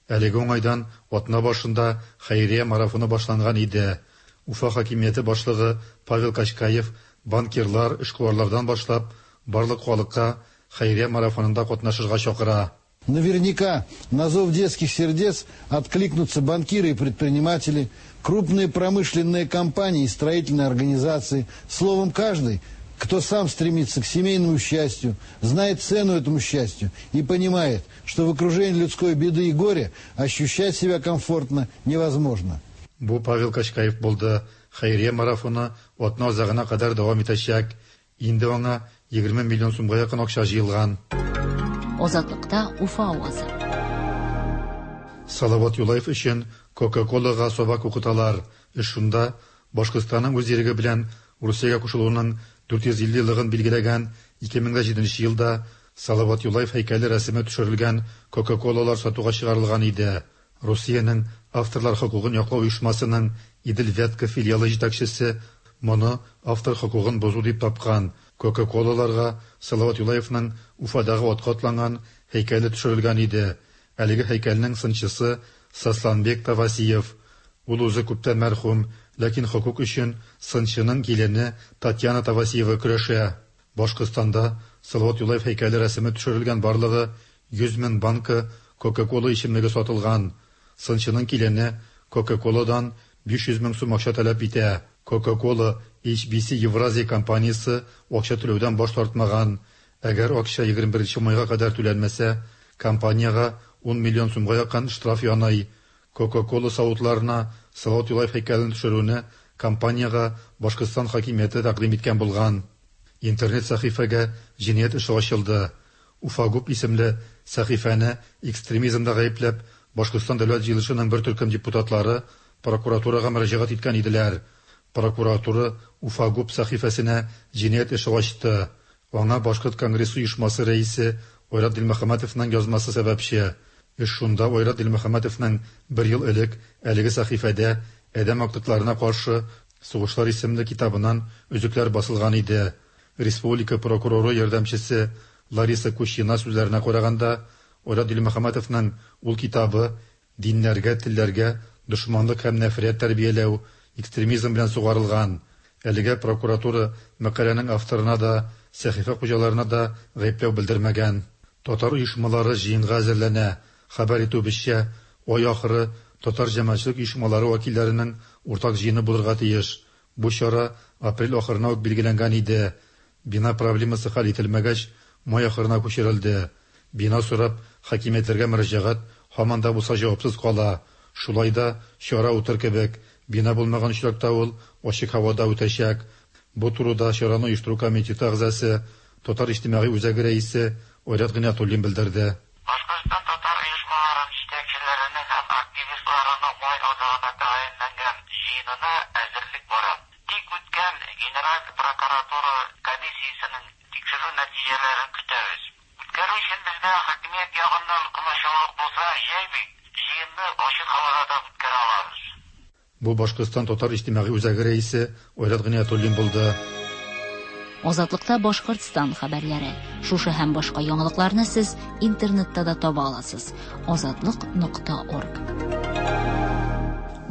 Әлеге уңайдан атна башында хәйрия марафоны башланган иде. Уфа хакимияте башлыгы Павел Качкаев банкирлар, эшкуарлардан башлап барлык халыкка хәйрия марафонында катнашырга чакыра.
Наверняка на зов детских сердец откликнутся банкиры и предприниматели, крупные промышленные компании и строительные организации. Словом, каждый, Кто сам стремится к семейному счастью, знает цену этому счастью и понимает, что в окружении людской беды и горя ощущать себя комфортно невозможно.
Бу Павел Качкаев булды. Хәйрия марафоны атна азагына кадәр дәвам итәчәк. Инде аңа егерме миллион сумга якын акча җыелган.
Азатлыкта Уфа авазы.
Салават Юлаев өчен Кока-Колага сабак укыталар. Эш шунда, Башкортстанның үз иреге белән Русиягә кушылуының дүрт йөз илле еллыгын билгеләгән ике мең дә җиденче елда Салават Юлаев һәйкәле рәсеме төшерелгән Кока-Колалар сатуга чыгарылган иде. Русиянең авторлар хокукын яклау оешмасының Идел-Вятка филиалы җитәкчесе моны автор хокукын бозу дип тапкан. Кока-Колаларга Салават Юлаевның Уфадагы атка атланган һәйкәле төшерелгән иде. Әлеге һәйкәлнең сынчысы Сосланбек Тавасиев. Ул үзе күптән мәрхүм, ләкин хокук өчен сынчының килене Татьяна Тавасиева көрәшә. Башкортстанда Салават Юлаев һәйкәле рәсеме төшерелгән барлыгы йөз мең банка Кока-Кола эчемлеге сатылган. Сынчының килене Кока-Коладан биш йөз мең сум акча таләп итә. Кока-Кола Эйч Би Си Евразия компаниясе акча түләүдән баш тартмаган. Әгәр акча егерме беренче майга кадәр түләнмәсә, компаниягә ун миллион сумга якын штраф яный. Кока-Кола савытларына Салават Юлаев һәйкәлен төшерүне компаниягә Башкортстан хакимияте тәкъдим иткән булган. Интернет сәхифәгә җинаять эше ачылды. Уфагуп исемле сәхифәне экстремизмда гаепләп, Башкортстан дәүләт җыелышының бер төркем депутатлары прокуратурага мөрәҗәгать иткән иделәр. Прокуратура Уфагуп сәхифәсенә җинаять эше ачты. Аңа Башкорт конгрессы оешмасы рәисе Айрат Дилмөхәммәтовның язмасы сәбәпче. Эш шунда, Айрат Дилмөхәммәтовның бер ел элек әлеге сәхифәдә Адәм актыкларына каршы сугышлар исемле китабыннан өзекләр басылган иде. Республика прокуроры ярдәмчесе Лариса Кущина сүзләренә караганда, Айрат Дилмөхәммәтовның ул китабы диннәргә, телләргә дошманлык һәм нәфрәт тәрбияләү, экстремизм белән сугарылган. Әлегә прокуратура мәкаләнең авторына да, сәхифә хуҗаларына да гаепләү белдермәгән. Татар оешмалары җыенга әзерләнә. Хәбәр итүебезчә, ай ахыры татар җәмәгатьчелек оешмалары вәкилләренең уртак җыены булырга тиеш. Бу чара апрель ахырына ук билгеләнгән иде. Бина проблемасы хәл ителмәгәч, май ахырына күчерелде. Бина сорап хакимиятләргә мөрәҗәгать һаман да булса җавапсыз кала. Шулай да чара үтер кебек. Бина булмаган очракта ул ачык һавада үтәчәк. Бу турыда чараны оештыру комитеты әгъзасы, Татар иҗтимагый үзәге рәисе Айрат Гыйниятуллин белдерде.
Башкортстан татар оешмаларын җитәкчеләренең һәм активистларының май азагына тәгаенләнгән җыенына әзерлек бара. Тик үткән Генераль прокуратура комиссиясенең тикшерү нәтиҗәләрен көтәбез. Үткәрү өчен безгә хакимият ягыннан комачаулык булса, җәй бит, җыенны ачык һавада да үткәрә алабыз.
Бу Башкортстан татар иҗтимагый үзәге рәисе Айрат Гыйниятуллин булды.
Азатлыкта Башкортстан хәбәрләре. Шушы һәм башка яңалыкларны сез интернетта да таба аласыз. Азатлык нокта орг.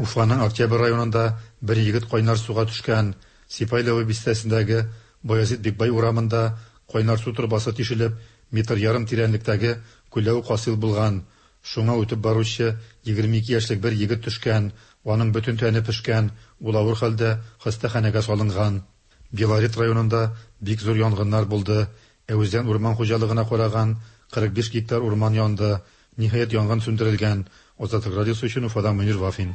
Уфаның Октябрь районында бер егет кайнар суга төшкән. Сипайлово бистәсендәге Баязит Бикбай урамында кайнар су торбасы тишелеп, метр ярым тирәнлектәге күләү хасил булган. Шуңа үтеп баручы егерме ике яшьлек бер егет төшкән. Аның бөтен тәне пешкән, ул авыр хәлдә хастаханәгә салынган. Белорет районында бик зур янгыннар булды. Әүзән урман хуҗалыгына караган кырык биш гектар урман янды. Ниһаять янгын сүндерелгән. Азатлык радиосы өчен Уфадан Мөнир Вафин.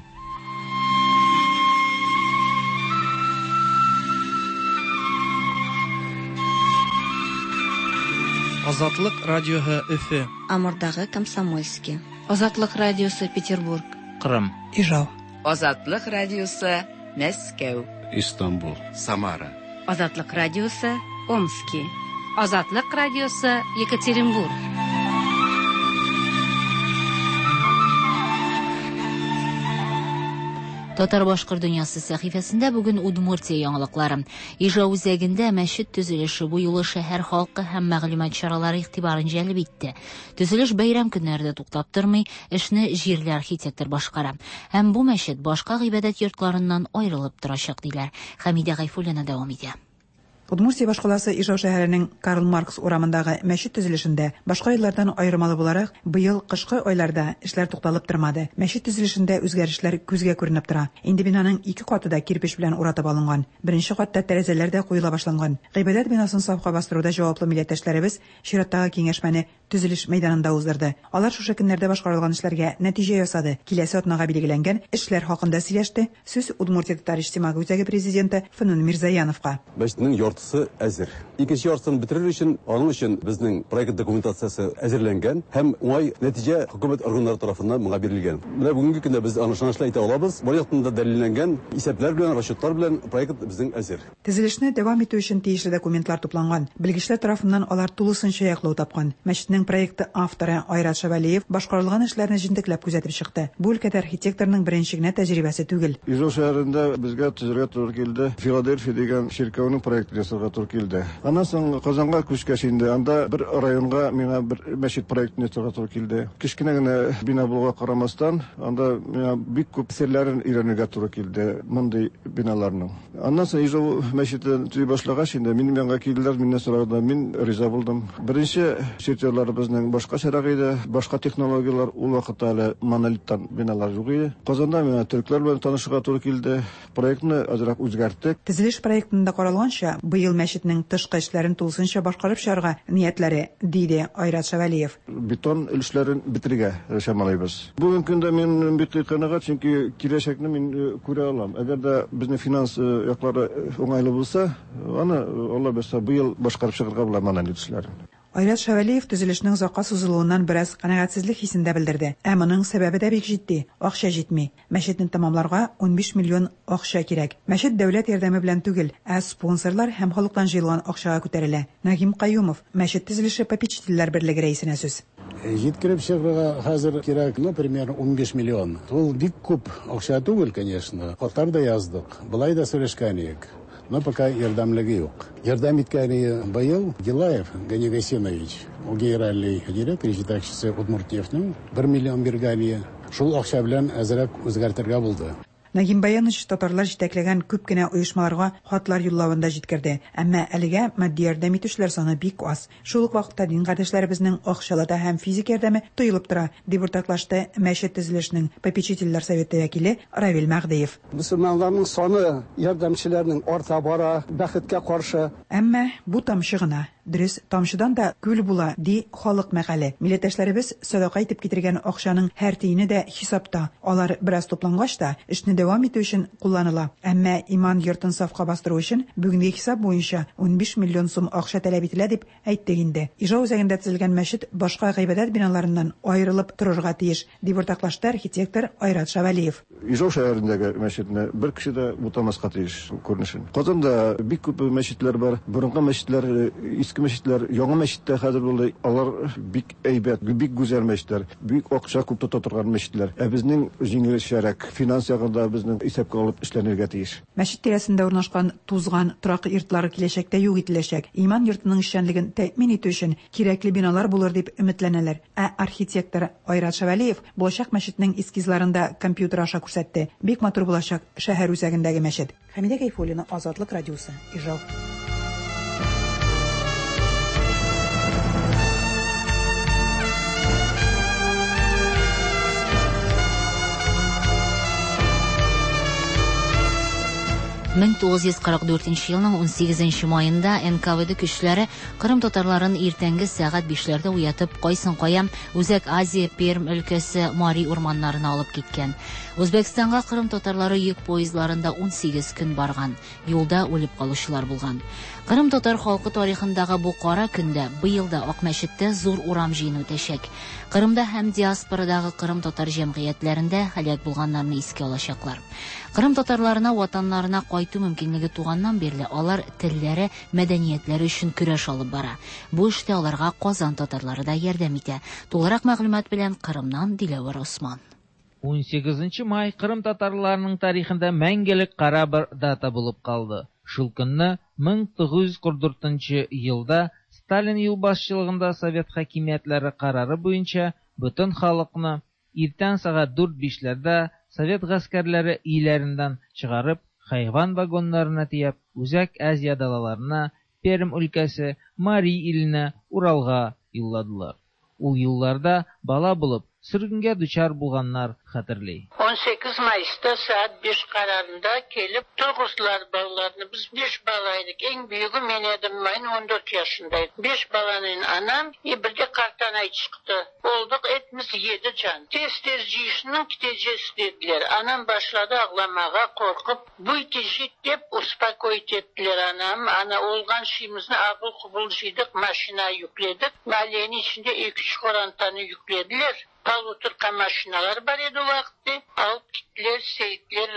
Азатлык радиоһы Өфө.
Амурдагы Комсомольский. Азатлык радиосы Петербург.
Кырым.
Ижау.
Азатлык радиосы Мәскәү.
Истанбул. Самара.
Азатлык радиосы Омски.
Азатлык радиосы Екатеринбург.
Татар башкорт дөньясы сәхифәсендә бүген Удмуртия яңалыклары. Ижау үзәгендә мәчет төзелеше бу юлы шәһәр халкы һәм мәгълүмат чаралары игътибарын җәлеп итте. Төзелеш бәйрәм көннәрендә туктап тормый, эшне җирле архитектор башкара. Һәм бу мәчет башка гыйбадәт йортларыннан аерылып торачак диләр. Хәмидә Гайфуллина дәвам итә.
Удмуртия башкаласы Ижау шәһәренең Карл Маркс урамындагы мәчет төзелешендә башка еллардан аермалы буларак, быел кышкы айларда эшләр тукталып тормады. Мәчет төзелешендә үзгәрешләр күзгә күренеп тора. Инде бинаның ике каты да кирпеч белән уратып алынган. Беренче катта тәрәзәләр дә куела башланган. Гыйбадәт бинасын сафка бастыруда җаваплы милләттәшләребез чираттагы киңәшмәне төзелеш мәйданында уздырды. Алар шушы көннәрдә башкарылган эшләргә нәтиҗә ясады. Киләсе атнага билгеләнгән эшләр хакында сөйләште. Сүз Удмуртия татар иҗтимагый үзәге президенты Фәнүн Мирзаяновка.
Мәчетнең яртысы әзер. Икенче яртысын бетерер өчен, аның өчен безнең проект документациясе әзерләнгән һәм уңай нәтиҗә хөкүмәт органнары тарафыннан моңа бирелгән. Менә бүгенге көндә без аны ышанычлы әйтә алабыз. Бар яктан да дәлилләнгән исәпләр белән, расчетлар белән проект безнең әзер.
Төзелешне дәвам итү өчен тиешле документлар тупланган. Белгечләр тарафыннан алар тулысынча яклау тапкан. Мәчетнең проекты авторы Айрат Шавалиев башкарылган эшләрне җентекләп күзәтеп чыкты. Бу өлкәдә архитекторның беренче генә тәҗрибәсе түгел.
Ижау шәһәрендә безгә төзергә туры килде. Филадельфия дигән чиркәүнең проектын ясарга туры килде. Аннан соң Казанга күчкәч инде анда бер районга миңа бер мәчет проектын ясарга туры килде. Кечкенә генә бина булуга карамастан, анда миңа бик күп серләрен өйрәнергә туры килде мондый биналарның. Аннан соң Ижау мәчетен төзи башлагач инде минем янга килделәр, миннән сорадылар, мин риза булдым. Беренче чертежларыбызның башкачарак иде, башка технологияләр ул вакытта әле монолиттан биналар юк иде. Казанда миңа төрекләр белән танышырга туры килде. Проектны азрак үзгәрттек.
Төзелеш проектында каралганча, быел мәчетнең тышкы эшләрен тулысынча башкарып чыгарга ниятләре, диде Айрат Шавалиев.
Бетон өлешләрен бетерергә чамалыйбыз. Бүгенге көндә мин бик канәгать, чөнки киләчәкне мин күрә алам. Әгәр дә безнең финанс яклары уңайлы булса, аны Алла бирсә, быел башкарып чыгарга була монолит эшләрен.
Айрат Шавалиев төзелешнең озакка сузылуыннан бераз канәгатьсезлек хисен дә белдерде. Ә моның сәбәбе дә бик җитди: акча җитми. Мәчетне тәмамларга унбиш миллион акча кирәк. Мәчет дәүләт ярдәме белән түгел, ә спонсорлар һәм халыктан җыелган акчага күтәрелә. Нагим Каюмов, мәчет төзелеше попечительләр берлеге рәисенә сүз.
Җиткереп чыгарга хәзер кирәк, ну, примерно унбиш миллион. Ул бик күп акча түгел, конечно. Хатлар да яздык, былай да сөйләшкән идек. Но пока ярдәмлеге юк. Ярдәм иткәне быел Гилаев Гани Гасинович, ул генеральный директор, җитәкчесе Удмуртнефтьнең бер миллион биргәне. Шул акча белән әзрәк үзгәртергә булды.
Нагим Баянович татарлар җитәкләгән күп кенә оешмаларга хатлар юллавын да җиткерде. Әмма әлегә матди ярдәм итүчеләр саны бик аз. Шул ук вакытта дин кардәшләребезнең акчалата һәм физик ярдәме тоелып тора, дип уртаклашты мәчет төзелешенең попечительләр советы вәкиле Равил Мәгъдиев.
Мөселманнарның саны ярдәмчеләрнең арта бара, бәхеткә каршы.
Әмма бу тамчы гына. Дөрес, тамчыдан да күл була, ди халык мәкале. Милләттәшләребез садака итеп китергән акчаның һәр тиене дә хисапта. Алар бераз туплангач та эшне дәвам итү өчен кулланыла. Әмма иман йортын сафка бастыру өчен бүгенге хисап буенча унбиш миллион сум акча таләп ителә дип әйттек инде. Ижау үзәгендә төзелгән мәчет башка гыйбадәт биналарыннан аерылып торырга тиеш, дип уртаклашты архитектор Айрат Шавалиев.
Ижау шәһәрендәге мәчетне бер кеше дә бутамаска тиеш күренешен. Казанда бик күп мәчетләр бар. Борынгы мәчетләр, иске мәчетләр, яңа мәчетләр хәзер булды. Алар бик әйбәт, бик гүзәл мәчетләр, бик акча күп тота торган мәчетләр. Ә безнең җиңелчәрәк финанс ягында безнең исәпкә алып эшләнергә тиеш.
Мәчет тирәсендә урнашкан тузган торак йортлары киләчәктә юк ителәчәк. Иман йортының эшчәнлеген тәэмин итү өчен кирәкле биналар булыр дип өметләнәләр. Ә архитектор Айрат Шавалиев булачак мәчетнең эскизларын да компьютер аша күрсәтте. Бик матур булачак шәһәр үзәгендәге мәчет. Хәмидә Гайфуллина, Азатлык радиосы, Ижау.
мең тугыз йөз кырык дүртенче елның унсигезенче маенда эн ка вэ дэ көчләре Кырым татарларын иртәнге сәгать бишләрдә уятып, кайсын кая Үзәк Азия, Пермь өлкәсе, Мари урманнарына алып киткән. Үзбәкстанга Кырым татарлары йөк поездларында унсигез көн барган. Юлда үлеп калучылар булган. Кырым татар халкы тарихындагы бу кара көндә быел да Акмәчеттә зур урам җыены үтәчәк. Кырымда һәм диаспорадагы Кырым татар җәмгыятьләрендә һәлак булганнарны искә алачаклар. Кырым татарларына ватаннарына кайту мөмкинлеге туганнан бирле алар телләре, мәдәниятләре өчен көрәш алып бара. Бу эштә аларга Казан татарлары да ярдәм итә. Тулырак мәгълүмат белән Кырымнан Диләвәр Осман.
Унсигезенче май Кырым татарларының тарихында мәңгелек кара бер дата булып калды. Шул көнне мең тугыз йөз кырык дүртенче елда Сталин юлбашчылыгында Совет хакимиятләре карары буенча бөтен халыкны иртән сәгать дүрт бишләрдә Совет гаскәрләре өйләреннән чыгарып, хайван вагоннарына тияп, Үзәк Азия далаларына, Пермь өлкәсе, Мари иленә, Уралга юлладылар. Ул елларда бала булып, sürgüngə düçar bulğanlar xatırlay.
on sekiz Mayıs'ta saat beş kararında gelip turğuzdular balalarını. Biz beş balaydık. En büyüğü men edim. Ben on dört yaşındaydım. Beş balanın anam e bir de kartanay çıktı. Olduk etimiz yedi can. Tez tez ciyişinin gideceğiz dediler. Anam başladı ağlamağa korkup. Bu itecek dep uspokоить ettiler anam. Ana olgan şeyimizni ağıl kubul jiydik, maşina yükledik. Mahallenin içinde iki üç korantanı yüklediler. Полуторка maşinalar var idi o vakti. Alıp gittiler, seyitler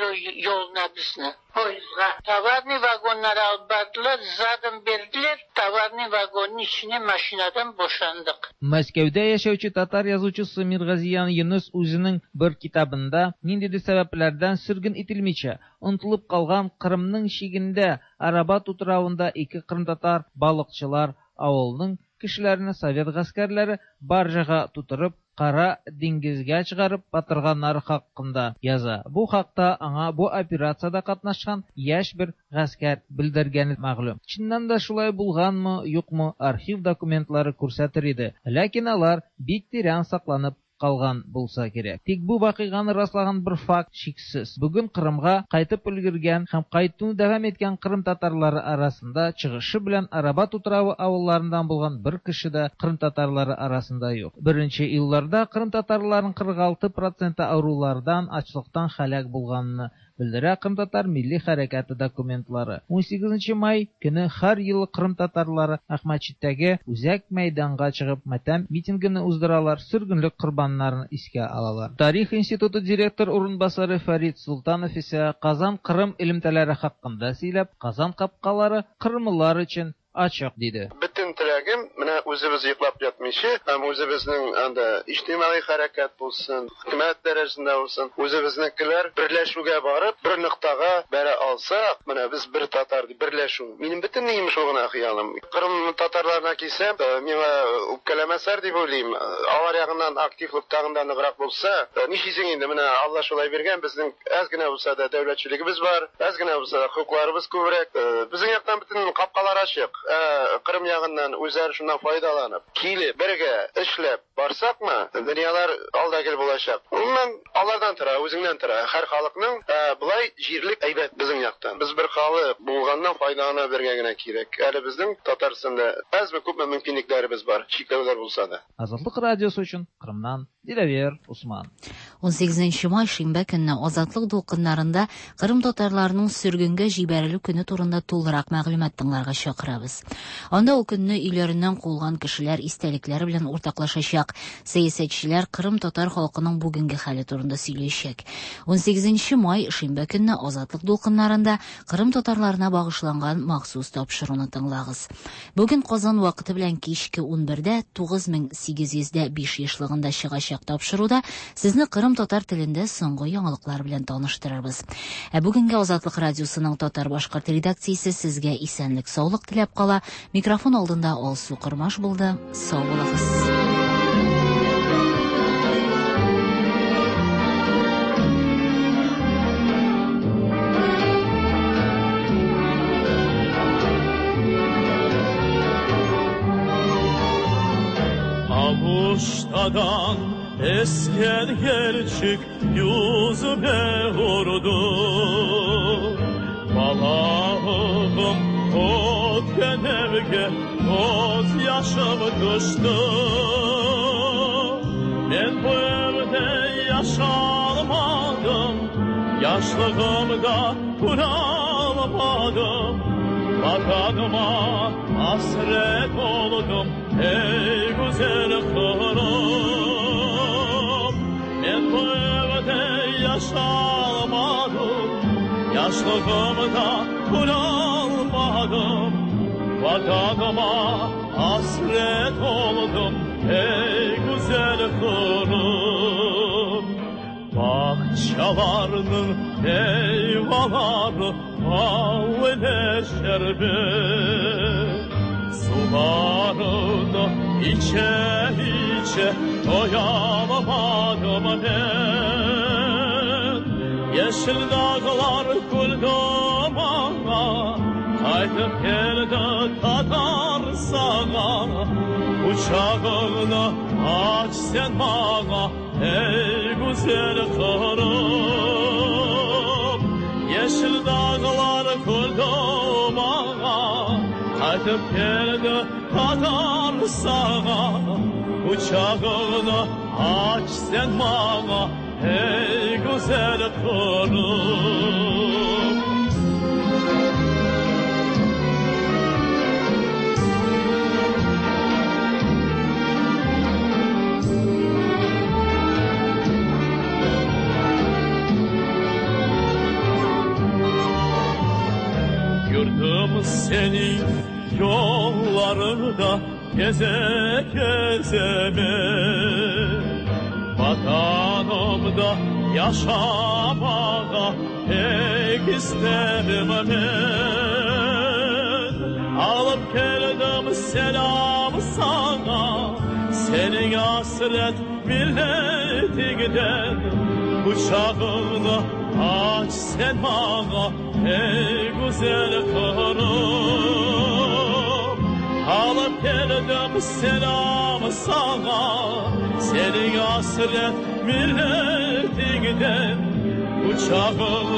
yoluna bizni. Poyuzga. Tovarni vagonları alıp bardılar, zadım verdiler. Tovarni vagonun içine maşinadan boşandık.
Мәскәүдә яшәүче татар язучысы Мирғазиян Юнус үзенең бер китабында ниндидер сәбәпләрдән сөргөн ителмичә, онытылып калган Кырымның чигендә Арабат утравында ике кырымтатар балыкчылар авылының кешеләрен совет гаскәрләре баржага тутырып Кара диңгезгә чыгарып батырганнары хакында яза. Бу хакта аңа бу операцияда катнашкан яшь бер гаскәр белдергәне мәгълүм. Чыннан да шулай булганмы, юкмы, архив документлары күрсәтер иде. Ләкин алар бик тирән сакланып калган булса кирәк. Тик бу вакыйганы раслаган бер факт шиксез. Бүген Кырымга кайтып өлгергән һәм кайтуны дәвам иткән Кырым татарлары арасында чыгышы белән Арабат утравы авылларыннан булган бер кеше дә Кырым татарлары арасында юк. Беренче елларда Кырым татарларының кырык алты проценты авырулардан, ачлыктан һәлак булганны белдерә Кырым татар милли хәрәкәте документлары. ун сигезенче май көне һәр ел Кырым татарлары Әхмәтчиттәге үзәк мәйданга чыгып матәм митингын уздыралар, сөргенлек корбаннарын искә алалар. Тарих институты директор урынбасары Фәрид Султанов исә Казан Кырым элемтәләре хакында сөйләп, Казан капкалары кырымлылар өчен ачык диде.
Бөтен теләгем менә үзебез йоклап ятмыйча, һәм үзебезнең анда иҗтимагый хәрәкәт булсын, хөкүмәт дәрәҗәсендә булсын, үзебезнекеләр берләшүгә барып, бер ноктага бәрә алсак, менә без бер татар дип берләшү. Минем бөтен нием шул гына хыялым. Кырым татарларына килсәм, миңа үпкәләмәсләр дип уйлыйм. Алар ягыннан активлык тагын да ныграк булса, нишлисең инде, менә Алла шулай биргән, безнең әз генә булса да дәүләтчелегебез бар, әз генә булса да хокукларыбыз күбрәк. Безнең яктан бөтен капкалар ачык. Кырым ягыннан үзләре шуннан файдаланып, килеп, бергә эшләп барсакмы, дөньялар алда гел булачак. Гомумән, алардан тора, үзеңнән тора. Һәр халыкның былай җирлек әйбәт безнең яктан. Без бер халык булганнан файдалана белергә генә кирәк. Әле безнең Татарстанда әзме күпме мөмкинлекләребез бар, чикләүләр булса да.
Азатлык радиосы өчен Кырымнан Диләвер Усман.
он сигезенче май шимбә көнне Азатлык дулкыннарында Кырым татарларының сөргенгә җибәрелү көне турында тулырак мәгълүмат тыңларга чакырабыз. Анда ул көнне өйләреннән куылган кешеләр истәлекләре белән уртаклашачак. Сәясәтчеләр Кырым татар халкының бүгенге хәле турында сөйләячәк. он сигезенче май шимбә көнне Азатлык дулкыннарында Кырым татарларына багышланган махсус тапшыруны тыңлагыз. Бүген Казан вакыты белән кичке ун бердә тугыз мең сигез йөз дә биш ешлыгында чыгачак тапшыруда сезне Кырым татар телендә соңгы яңалыклар белән таныштырырбыз. Ә бүгенге Азатлык радиосының татар-башкорт редакциясе сезгә исәнлек, саулык теләп кала. Микрофон алдында Алсу Кырмаш булды. Сау булыгыз.
Aluştadan esken gerçek yüzüme vurdu. Balağım ötken evge göz yaşım düştü. Ben bu evde yaşalmadım, yaşlığımda kuralmadım. Vatanıma hasret oldum ey güzel Kırım. Ben bu evde yaşalmadım, yaşlığımda kuralmadım. Vatanıma hasret oldum ey güzel Kırım. Bahçalarının meyveleri bal ile şerbet, sularını içe içe doyamadım ben. Yeşil dağlar güldü bana, kaytıp geldi tadı. Kucağını aç sen bana ey güzel Kırım. Yeşil dağlar kurdu bana, qaytib keldi Tatar sana. Kucağını aç sen bana ey güzel Kırım. Gördüm seni yollarında geze geze ben. Vatanımda yaşamağa pek isterim ben. Alıp geldim selam sana, senin hasret milletinden. Kucağını aç sen bana ey güzel Kırım. Alıp geldim selam sana, senin hasret milletinden. Kucağını